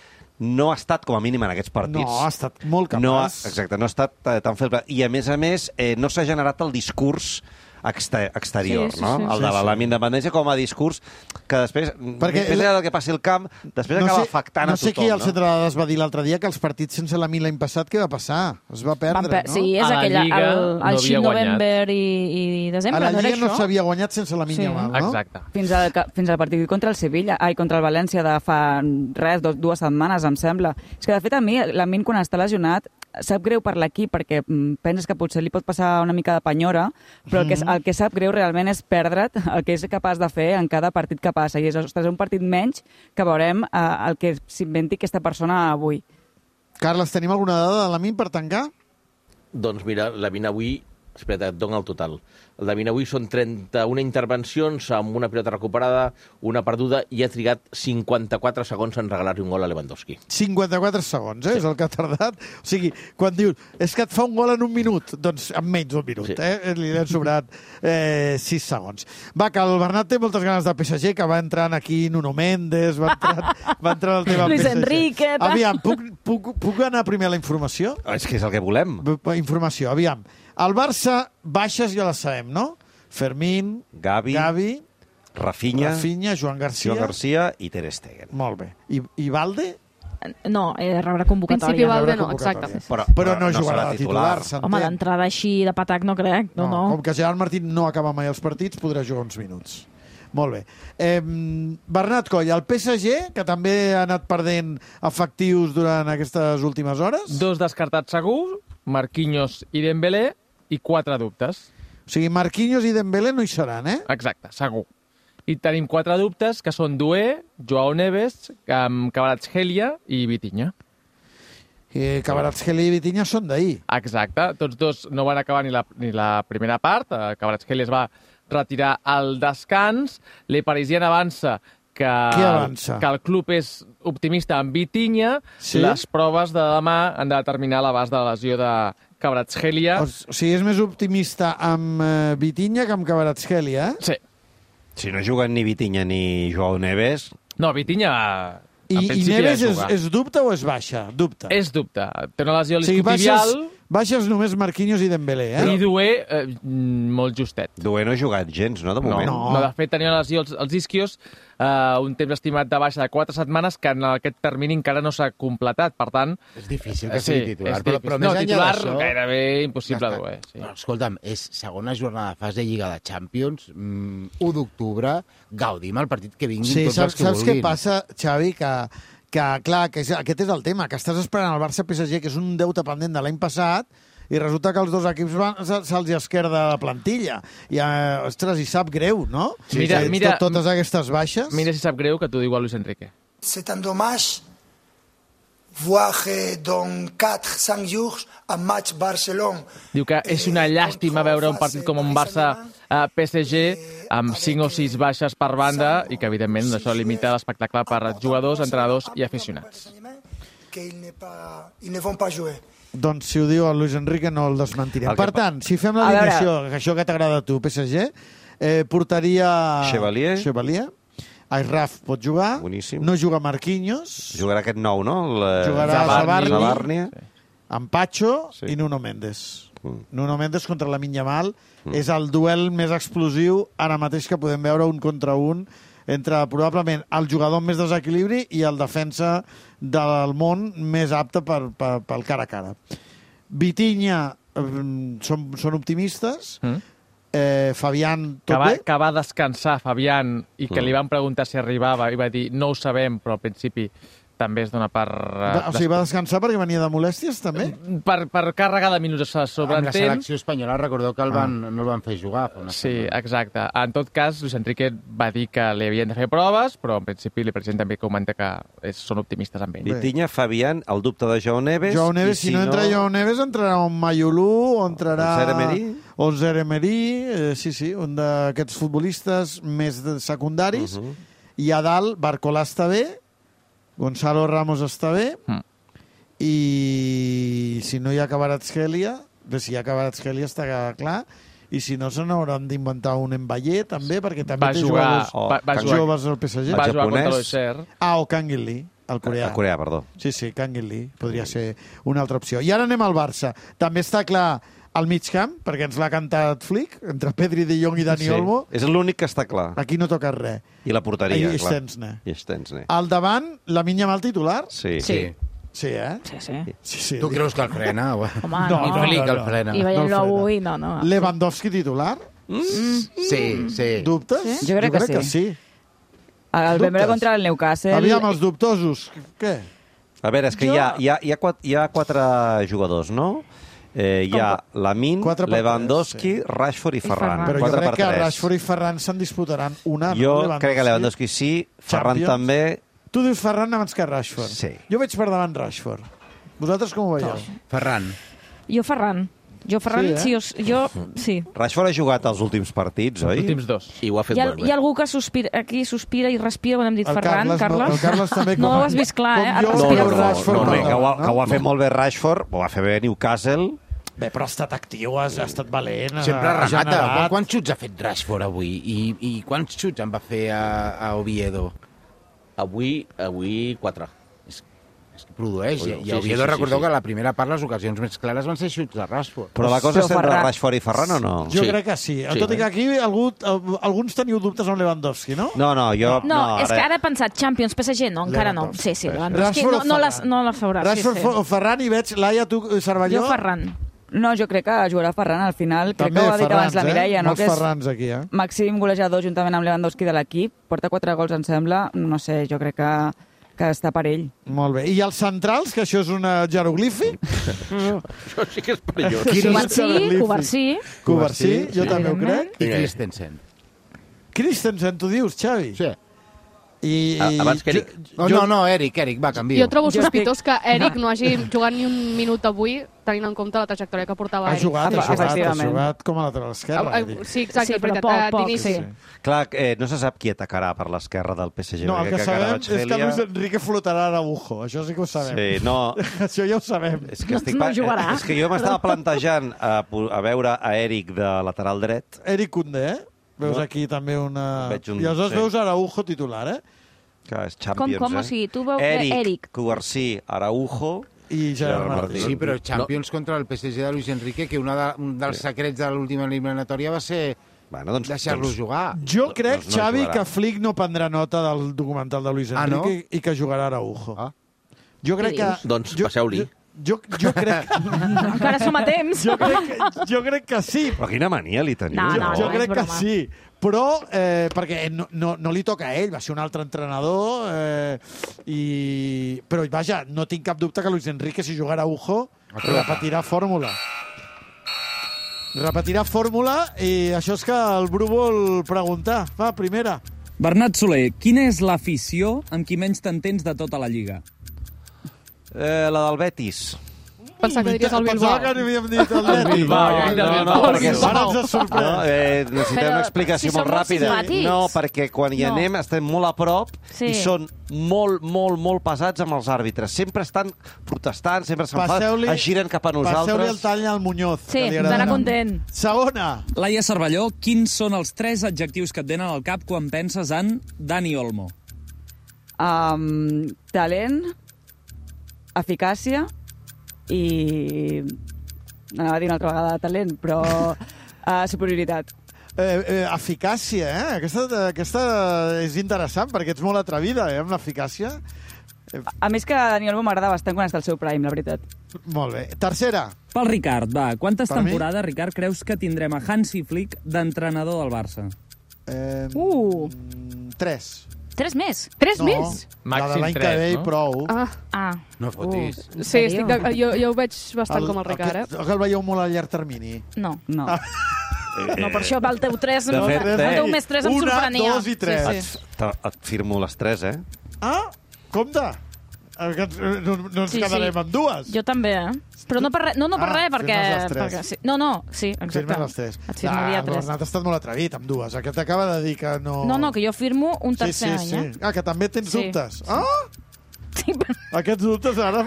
Speaker 16: no ha estat, com a mínim, en aquests partits.
Speaker 3: No, ha estat molt capaç.
Speaker 16: Exacte, no ha estat tan feble. I, a més, no s'ha generat el discurs exterior, no? El de la independència com a discurs que després, més enllà del que passi al camp, després acaba afectant a tothom.
Speaker 3: No sé qui al centre de dades va dir l'altre dia que els partits sense la l'any passat, què va passar? Es va perdre, no?
Speaker 15: Sí, és aquell, el Xip November i desembre,
Speaker 3: a la
Speaker 15: no era
Speaker 3: Lliga no s'havia guanyat sense la Yamal, no?
Speaker 17: Exacte.
Speaker 2: Fins al partit contra el Sevilla, contra el València de fa dues setmanes, em sembla. És que, de fet, a mi, Lamine, quan està lesionat, sap greu per l'equip perquè penses que potser li pot passar una mica de penyora, però el que sap greu realment és perdre't el que és capaç de fer en cada partit que passa. I és, ostres, un partit menys que veurem el que s'inventi aquesta persona avui.
Speaker 3: Carles, tenim alguna dada de Lamine per tancar?
Speaker 12: Doncs mira, Lamine avui... Espera, et dono el total. El Lamine avui són 31 intervencions amb una pilota recuperada, una perduda, i ha trigat 54 segons en regalar-li un gol a Lewandowski. 54 segons, és el que ha tardat. O sigui, quan dius, és que et fa un gol en un minut, doncs en menys d'un minut, li han sobrat 6 segons. Va, que el Bernat té moltes ganes de PSG, que va entrant aquí Nuno Méndez, va entrar el tema
Speaker 15: Luis
Speaker 3: PSG.
Speaker 15: Enrique...
Speaker 3: Aviam, puc anar primer a la informació?
Speaker 16: És que és el que volem.
Speaker 3: Informació, aviam. El Barça, baixes ja les sabem, no? Fermín, Gavi
Speaker 16: Rafinha,
Speaker 3: Joan Garcia
Speaker 16: i Ter Stegen.
Speaker 3: Molt bé. I Valde?
Speaker 15: No, rebrà convocatòria.
Speaker 19: Principi Valde no, exacte.
Speaker 3: Però no jugarà de titular, s'entén.
Speaker 15: Home, d'entrada així de patac no crec. No.
Speaker 3: Com que Gerard Martín no acaba mai els partits, podrà jugar uns minuts. Molt bé. Bernat Coll, el PSG, que també ha anat perdent efectius durant aquestes últimes hores?
Speaker 6: 2 descartats segur, Marquinhos i Dembélé, i 4 dubtes.
Speaker 3: O sigui, Marquinhos i Dembélé no hi seran, eh?
Speaker 6: Exacte, segur. I tenim 4 dubtes, que són Doué, Joao Neves, Kvaratskhelia i Vitinha.
Speaker 3: Kvaratskhelia i Vitinha són d'ahir.
Speaker 6: Exacte, tots dos no van acabar ni la primera part. Kvaratskhelia es va retirar al descans. Le Parisien avança que el club és optimista amb Vitinha. Sí? Les proves de demà han de determinar l'abast de la lesió de Kvaratskhelia.
Speaker 3: O sigui, és més optimista amb Vitinha que amb Kvaratskhelia, eh?
Speaker 6: Sí.
Speaker 16: Si no juguen ni Vitinha ni Joao Neves...
Speaker 6: No, Vitinha...
Speaker 3: I Neves és dubte o és baixa? Dubte.
Speaker 6: És dubte. Té una lesió isquiotibial...
Speaker 3: Baixes només Marquinhos i Dembélé, eh?
Speaker 6: I Doué, molt justet.
Speaker 16: Doué no ha jugat gens, no, de moment?
Speaker 6: No, de fet, tenia una lesió als isquios, un temps estimat de baixa de 4 setmanes, que en aquest termini encara no s'ha completat. Per tant...
Speaker 5: És difícil que sigui titular.
Speaker 6: Però més titular, gairebé impossible, Doué.
Speaker 5: Sí. No, escolta'm, és segona jornada de fase de Lliga de Champions, 1 d'octubre, gaudim el partit que vinguin tots els que vulguin.
Speaker 3: Saps què passa, Xavi, que clar, aquest és el tema, que estàs esperant el Barça-PSG, que és un deute pendent de l'any passat, i resulta que els dos equips se'ls esquerda la plantilla. I, ostres, i sap greu, no?
Speaker 6: Mira,
Speaker 3: totes aquestes baixes.
Speaker 6: Mira si sap greu que t'ho diu a Luis Enrique.
Speaker 9: C'est un dommage voir dans 4-5 jours un match Barcelona.
Speaker 6: Diu que és una llàstima veure un partit com un Barça-PSG amb 5 o 6 baixes per banda i que, evidentment, això limita l'espectacle per jugadors, entrenadors i aficionats.
Speaker 3: Doncs si ho diu el Luis Enrique no el desmentirem. Per tant, si fem l'alineació, això que t'agrada a tu, PSG, portaria... Chevalier. Airraf pot jugar.
Speaker 16: Boníssim.
Speaker 3: No juga Marquinhos.
Speaker 16: Jugarà aquest nou, no?
Speaker 3: Jugarà Zabarni. Amb Pacho i Nuno Méndez. Nuno Méndez contra Lamine Yamal. És el duel més explosiu ara mateix que podem veure un contra un entre probablement el jugador amb més desequilibri i el defensa del món més apte pel cara a cara. Vitinha són optimistes. Fabián, tot bé?
Speaker 6: Que va descansar Fabián i que li van preguntar si arribava i va dir no ho sabem, però al principi també es dona per...
Speaker 3: O sigui, va descansar perquè venia de molèsties, també?
Speaker 6: Per càrrega de minuts sobre
Speaker 5: amb la selecció espanyola, recordeu que no el van fer jugar.
Speaker 6: Sí, exacte. En tot cas, Luis Enrique va dir que li havien de fer proves, però en principi el president també comenta que són optimistes amb ell.
Speaker 16: Vitinha, Fabián, el dubte de Joao Neves...
Speaker 3: Si no entra Joao Neves, entrarà un Mayolú, o entrarà... O Zeremeri, sí, un d'aquests futbolistes més secundaris. I a dalt, Barcolà està bé, Gonzalo Ramos està bé, i si no hi ha Kvaratskhelia, si hi ha Kvaratskhelia està clar, i si no se n'hauran d'inventar un Mbappé també, perquè també té jugadors joves al PSG.
Speaker 6: Va jugar contra l'Auxerre.
Speaker 3: O Kang In-lee, el coreà.
Speaker 16: El coreà, perdó.
Speaker 3: Sí, Kang In-lee, podria ser una altra opció. I ara anem al Barça. També està clar al mig camp, perquè ens l'ha cantat Flick, entre Pedri, De Jong i Dani Olmo.
Speaker 16: És l'únic que està clar.
Speaker 3: Aquí no toca res.
Speaker 16: I la porteria,
Speaker 3: I
Speaker 16: clar.
Speaker 3: Szczęsny. Al davant, Lamine Yamal titular?
Speaker 16: Sí.
Speaker 3: Sí, eh?
Speaker 2: Sí.
Speaker 5: Tu creus que el frena?
Speaker 2: Home,
Speaker 5: no. Flick el frena.
Speaker 2: I veient-lo avui, no.
Speaker 3: Lewandowski titular?
Speaker 5: Sí.
Speaker 3: Dubtes?
Speaker 2: Jo crec que sí. El Bembé contra el Newcastle...
Speaker 3: Aviam, els dubtosos. Què?
Speaker 16: A veure, és que hi ha 4 jugadors, no? Hi ha Lamine, Lewandowski, Rashford i Ferran.
Speaker 3: Però jo crec que Rashford i Ferran se'n disputaran una.
Speaker 16: Jo crec que Lewandowski sí, Ferran també...
Speaker 3: Tu dius Ferran abans que Rashford.
Speaker 16: Sí.
Speaker 3: Jo veig per davant Rashford. Vosaltres com ho veieu?
Speaker 5: Ferran.
Speaker 15: Jo Ferran, sí.
Speaker 16: Rashford ha jugat els últims partits, oi?
Speaker 6: Els últims 2.
Speaker 12: I ho ha fet molt bé.
Speaker 15: Hi ha algú que sospira i respira quan hem dit Ferran, Carles?
Speaker 3: El Carles també.
Speaker 15: No ho has vist clar, eh?
Speaker 16: Que ho ha fet molt bé Rashford, ho va fer bé Newcastle.
Speaker 3: Bé, però ha estat actiu, ha estat valent.
Speaker 5: Sempre remata. Quants xuts ha fet Rashford avui? I quants xuts en va fer a Oviedo?
Speaker 12: Avui 4.
Speaker 5: És que produeix. I a Oviedo recordeu que a la primera part les ocasions més clares van ser xuts de Rashford.
Speaker 16: Però la cosa és entre Rashford i Ferran o no?
Speaker 3: Jo crec que sí. Tot i que aquí alguns teniu dubtes amb Lewandowski, no?
Speaker 16: No, jo...
Speaker 15: No, és que ara he pensat Champions, PSG, no, encara no. Sí, Lewandowski no la faurà.
Speaker 3: Rashford o Ferran i veig, Laia, tu, Cervelló...
Speaker 15: Jo Ferran.
Speaker 2: No, jo crec que jugarà Ferran al final. Crec que ho ha dit abans la Mireia, no?
Speaker 3: Molts Ferrans aquí, eh?
Speaker 2: Màxim golejador juntament amb Lewandowski de l'equip. Porta 4 gols, em sembla. No sé, jo crec que està per ell.
Speaker 3: Molt bé. I els centrals, que això és un jeroglifi?
Speaker 12: Això sí que és perillós.
Speaker 15: Covarsí,
Speaker 3: jo també ho crec.
Speaker 5: I Christensen,
Speaker 3: tu dius, Xavi?
Speaker 5: Sí.
Speaker 12: Abans que Eric.
Speaker 5: No, Eric, va, canvio.
Speaker 19: Jo trobo sospitós que Eric no hagi jugat ni un minut avui, tenint en compte la trajectòria que portava Eric.
Speaker 3: Ha jugat com a lateral esquerra.
Speaker 19: Sí, exacte, però poc.
Speaker 16: Clar, no se sap qui atacarà per l'esquerra del PSG.
Speaker 3: No, el que sabem és que Luis Enrique flotarà a Araujo. Això sí que ho sabem.
Speaker 16: Sí, no...
Speaker 3: Això ja ho sabem.
Speaker 15: No jugarà.
Speaker 16: És que jo m'estava plantejant a veure a Eric de lateral dret.
Speaker 3: Eric Koundé, veus aquí també una... I aleshores veus Araujo titular, eh?
Speaker 16: Que és Champions,
Speaker 15: Com? O sigui, tu veus Eric,
Speaker 16: Covarsí, Araujo
Speaker 3: i Gerard Martí.
Speaker 5: Sí, però Champions contra el PSG de Luis Enrique, que un dels secrets de l'última eliminatòria va ser deixar-lo jugar.
Speaker 3: Jo crec, Xavi, que Flick no prendrà nota del documental de Luis Enrique i que jugarà Araujo. Jo crec que...
Speaker 12: Doncs passeu-li.
Speaker 3: Jo crec...
Speaker 15: Encara som a temps.
Speaker 3: Jo crec que sí.
Speaker 16: Però quina mania li teniu.
Speaker 3: Jo crec que sí. Però, perquè no li toca a ell, va ser un altre entrenador, però, vaja, no tinc cap dubte que Luis Enrique, si jugarà Araujo, repetirà fórmula. I això és que el Bru vol preguntar. Va, primera.
Speaker 18: Bernat Soler, quina és l'afició amb qui menys t'entens de tota la Lliga?
Speaker 16: La del Betis.
Speaker 19: Pensava que diries el Bilbao.
Speaker 3: Pensava que havíem dit el Betis.
Speaker 16: No, perquè
Speaker 3: ara ens ha sorprès.
Speaker 16: Necessitem una explicació molt ràpida. No, perquè quan hi anem estem molt a prop i són molt pesats amb els àrbitres. Sempre estan protestant, sempre s'enfaden, es giren cap a nosaltres.
Speaker 3: Passeu-li el tall al Muñoz.
Speaker 15: Sí, estarà content.
Speaker 3: Segona.
Speaker 18: Laia Cervelló, quins són els 3 adjectius que et venen al cap quan penses en Dani Olmo?
Speaker 2: Talent, eficàcia i... anava a dir una altra vegada talent, però superioritat.
Speaker 3: Eficàcia, eh? Aquesta és interessant, perquè ets molt atrevida, amb l'eficàcia.
Speaker 2: A més que Dani Olmo m'agrada bastant quan està al seu prime, la veritat.
Speaker 3: Molt bé. Tercera.
Speaker 18: Pel Ricard, va. Quantes temporades, Ricard, creus que tindrem a Hansi Flick d'entrenador del Barça?
Speaker 3: 3.
Speaker 15: 3 més?
Speaker 19: 3 més?
Speaker 3: La de l'any que ve i prou.
Speaker 5: No fotis.
Speaker 19: Sí, jo ho veig bastant com el Ricard, eh?
Speaker 3: El veieu molt a llarg termini?
Speaker 15: No. No, per això el teu 3, el teu més 3 em sorprenia.
Speaker 3: 1, 2 i 3.
Speaker 16: Et firmo les 3, eh?
Speaker 3: Compte! No ens quedarem amb 2.
Speaker 15: Jo també, però no per res, perquè... Sí, exacte.
Speaker 3: Firmes les 3.
Speaker 15: Et firmaria 3.
Speaker 3: Bernat ha estat molt atrevit amb 2. Aquest acaba de dir que no...
Speaker 15: No, que jo firmo un tercer any, eh?
Speaker 3: Que també tens dubtes. Sí, aquests dubtes ara...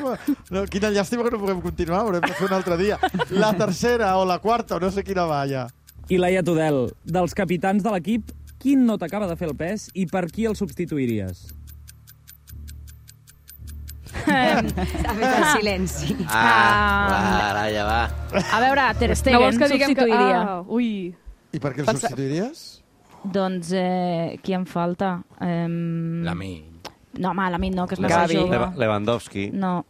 Speaker 3: Quina llàstima que no puguem continuar, haurem de fer un altre dia. La tercera o la quarta, o no sé quina va, ja.
Speaker 18: I Laia Tudel, dels capitans de l'equip, quin no t'acaba de fer el pes i per qui el substituiries?
Speaker 11: S'ha fet el silenci.
Speaker 12: Ara ja va.
Speaker 15: A veure, Ter Stegen substituiria.
Speaker 7: Ui.
Speaker 3: I per què el substituiries?
Speaker 15: Doncs, qui em falta?
Speaker 21: Lamine.
Speaker 15: No, home, Lamine no, que és massa jove.
Speaker 16: Lewandowski.
Speaker 15: No.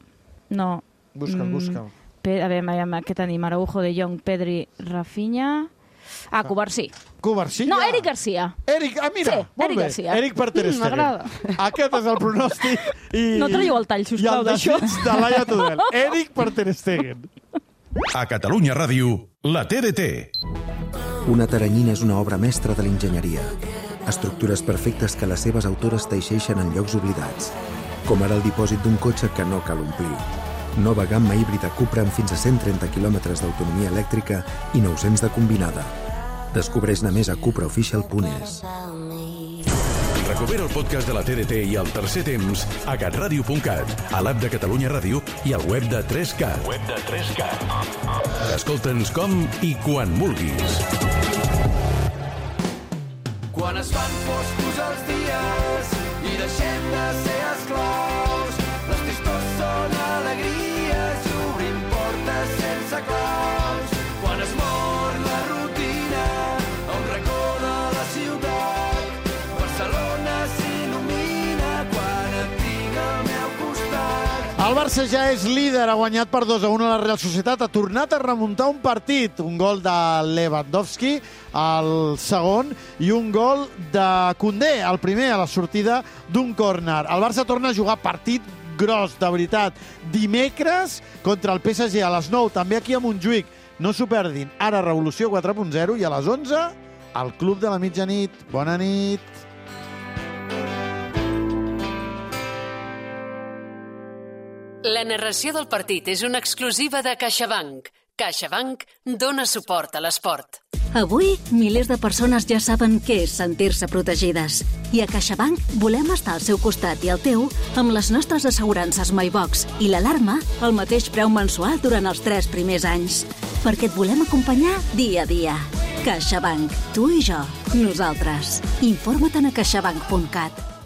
Speaker 3: Busca'l.
Speaker 15: A veure, què tenim? Araujo, De Jong, Pedri, Rafinha... Covarsí.
Speaker 3: Covarsí?
Speaker 15: No, Eric Garcia.
Speaker 3: Mira,
Speaker 15: sí,
Speaker 3: molt
Speaker 15: Eric
Speaker 3: bé.
Speaker 15: Garcia.
Speaker 3: Eric per Ter Stegen.
Speaker 15: M'agrada.
Speaker 3: Aquest és el pronòstic.
Speaker 15: No traieu el tall, sisplau, d'això.
Speaker 3: I el desig de Laia Tudel. Eric per Ter Stegen.
Speaker 22: A Catalunya Ràdio, la TDT.
Speaker 23: Una teranyina és una obra mestra de l'enginyeria. Estructures perfectes que les seves autores teixeixen en llocs oblidats. Com ara el dipòsit d'un cotxe que no cal omplir. Nova gamma híbrida Cupra amb fins a 130 km d'autonomia elèctrica i 900 de combinada. Descobreix-ne més a cupraofficial.es.
Speaker 22: Recupera el podcast de la TDT i el tercer temps a catradio.cat, a l'app de Catalunya Ràdio i al web de 3Cat. Escolta'ns com i quan vulguis.
Speaker 24: Quan es fan foscos els dies i deixem de ser esclaus, les tristors són alegries i obrim portes sense claus. Quan es mor la rutina a un racó de la ciutat, Barcelona s'il·lumina quan et tinc al meu costat.
Speaker 3: El Barça ja és líder, ha guanyat per 2-1 a la Real Societat, ha tornat a remuntar un partit, un gol de Lewandowski, el segon, i un gol de Koundé, el primer a la sortida d'un córner. El Barça torna a jugar partit gros, de veritat, dimecres contra el PSG a les 9, també aquí a Montjuïc. No s'ho perdin. Ara Revolució 4.0 i a les 11 al Club de la Mitjanit. Bona nit.
Speaker 26: La narració del partit és una exclusiva de CaixaBank. CaixaBank dona suport a l'esport.
Speaker 27: Avui, milers de persones ja saben què és sentir-se protegides. I a CaixaBank volem estar al seu costat i al teu amb les nostres assegurances MyBox i l'alarma al mateix preu mensual durant els 3 primers anys. Perquè et volem acompanyar dia a dia. CaixaBank. Tu i jo. Nosaltres. Informa't a caixabank.cat.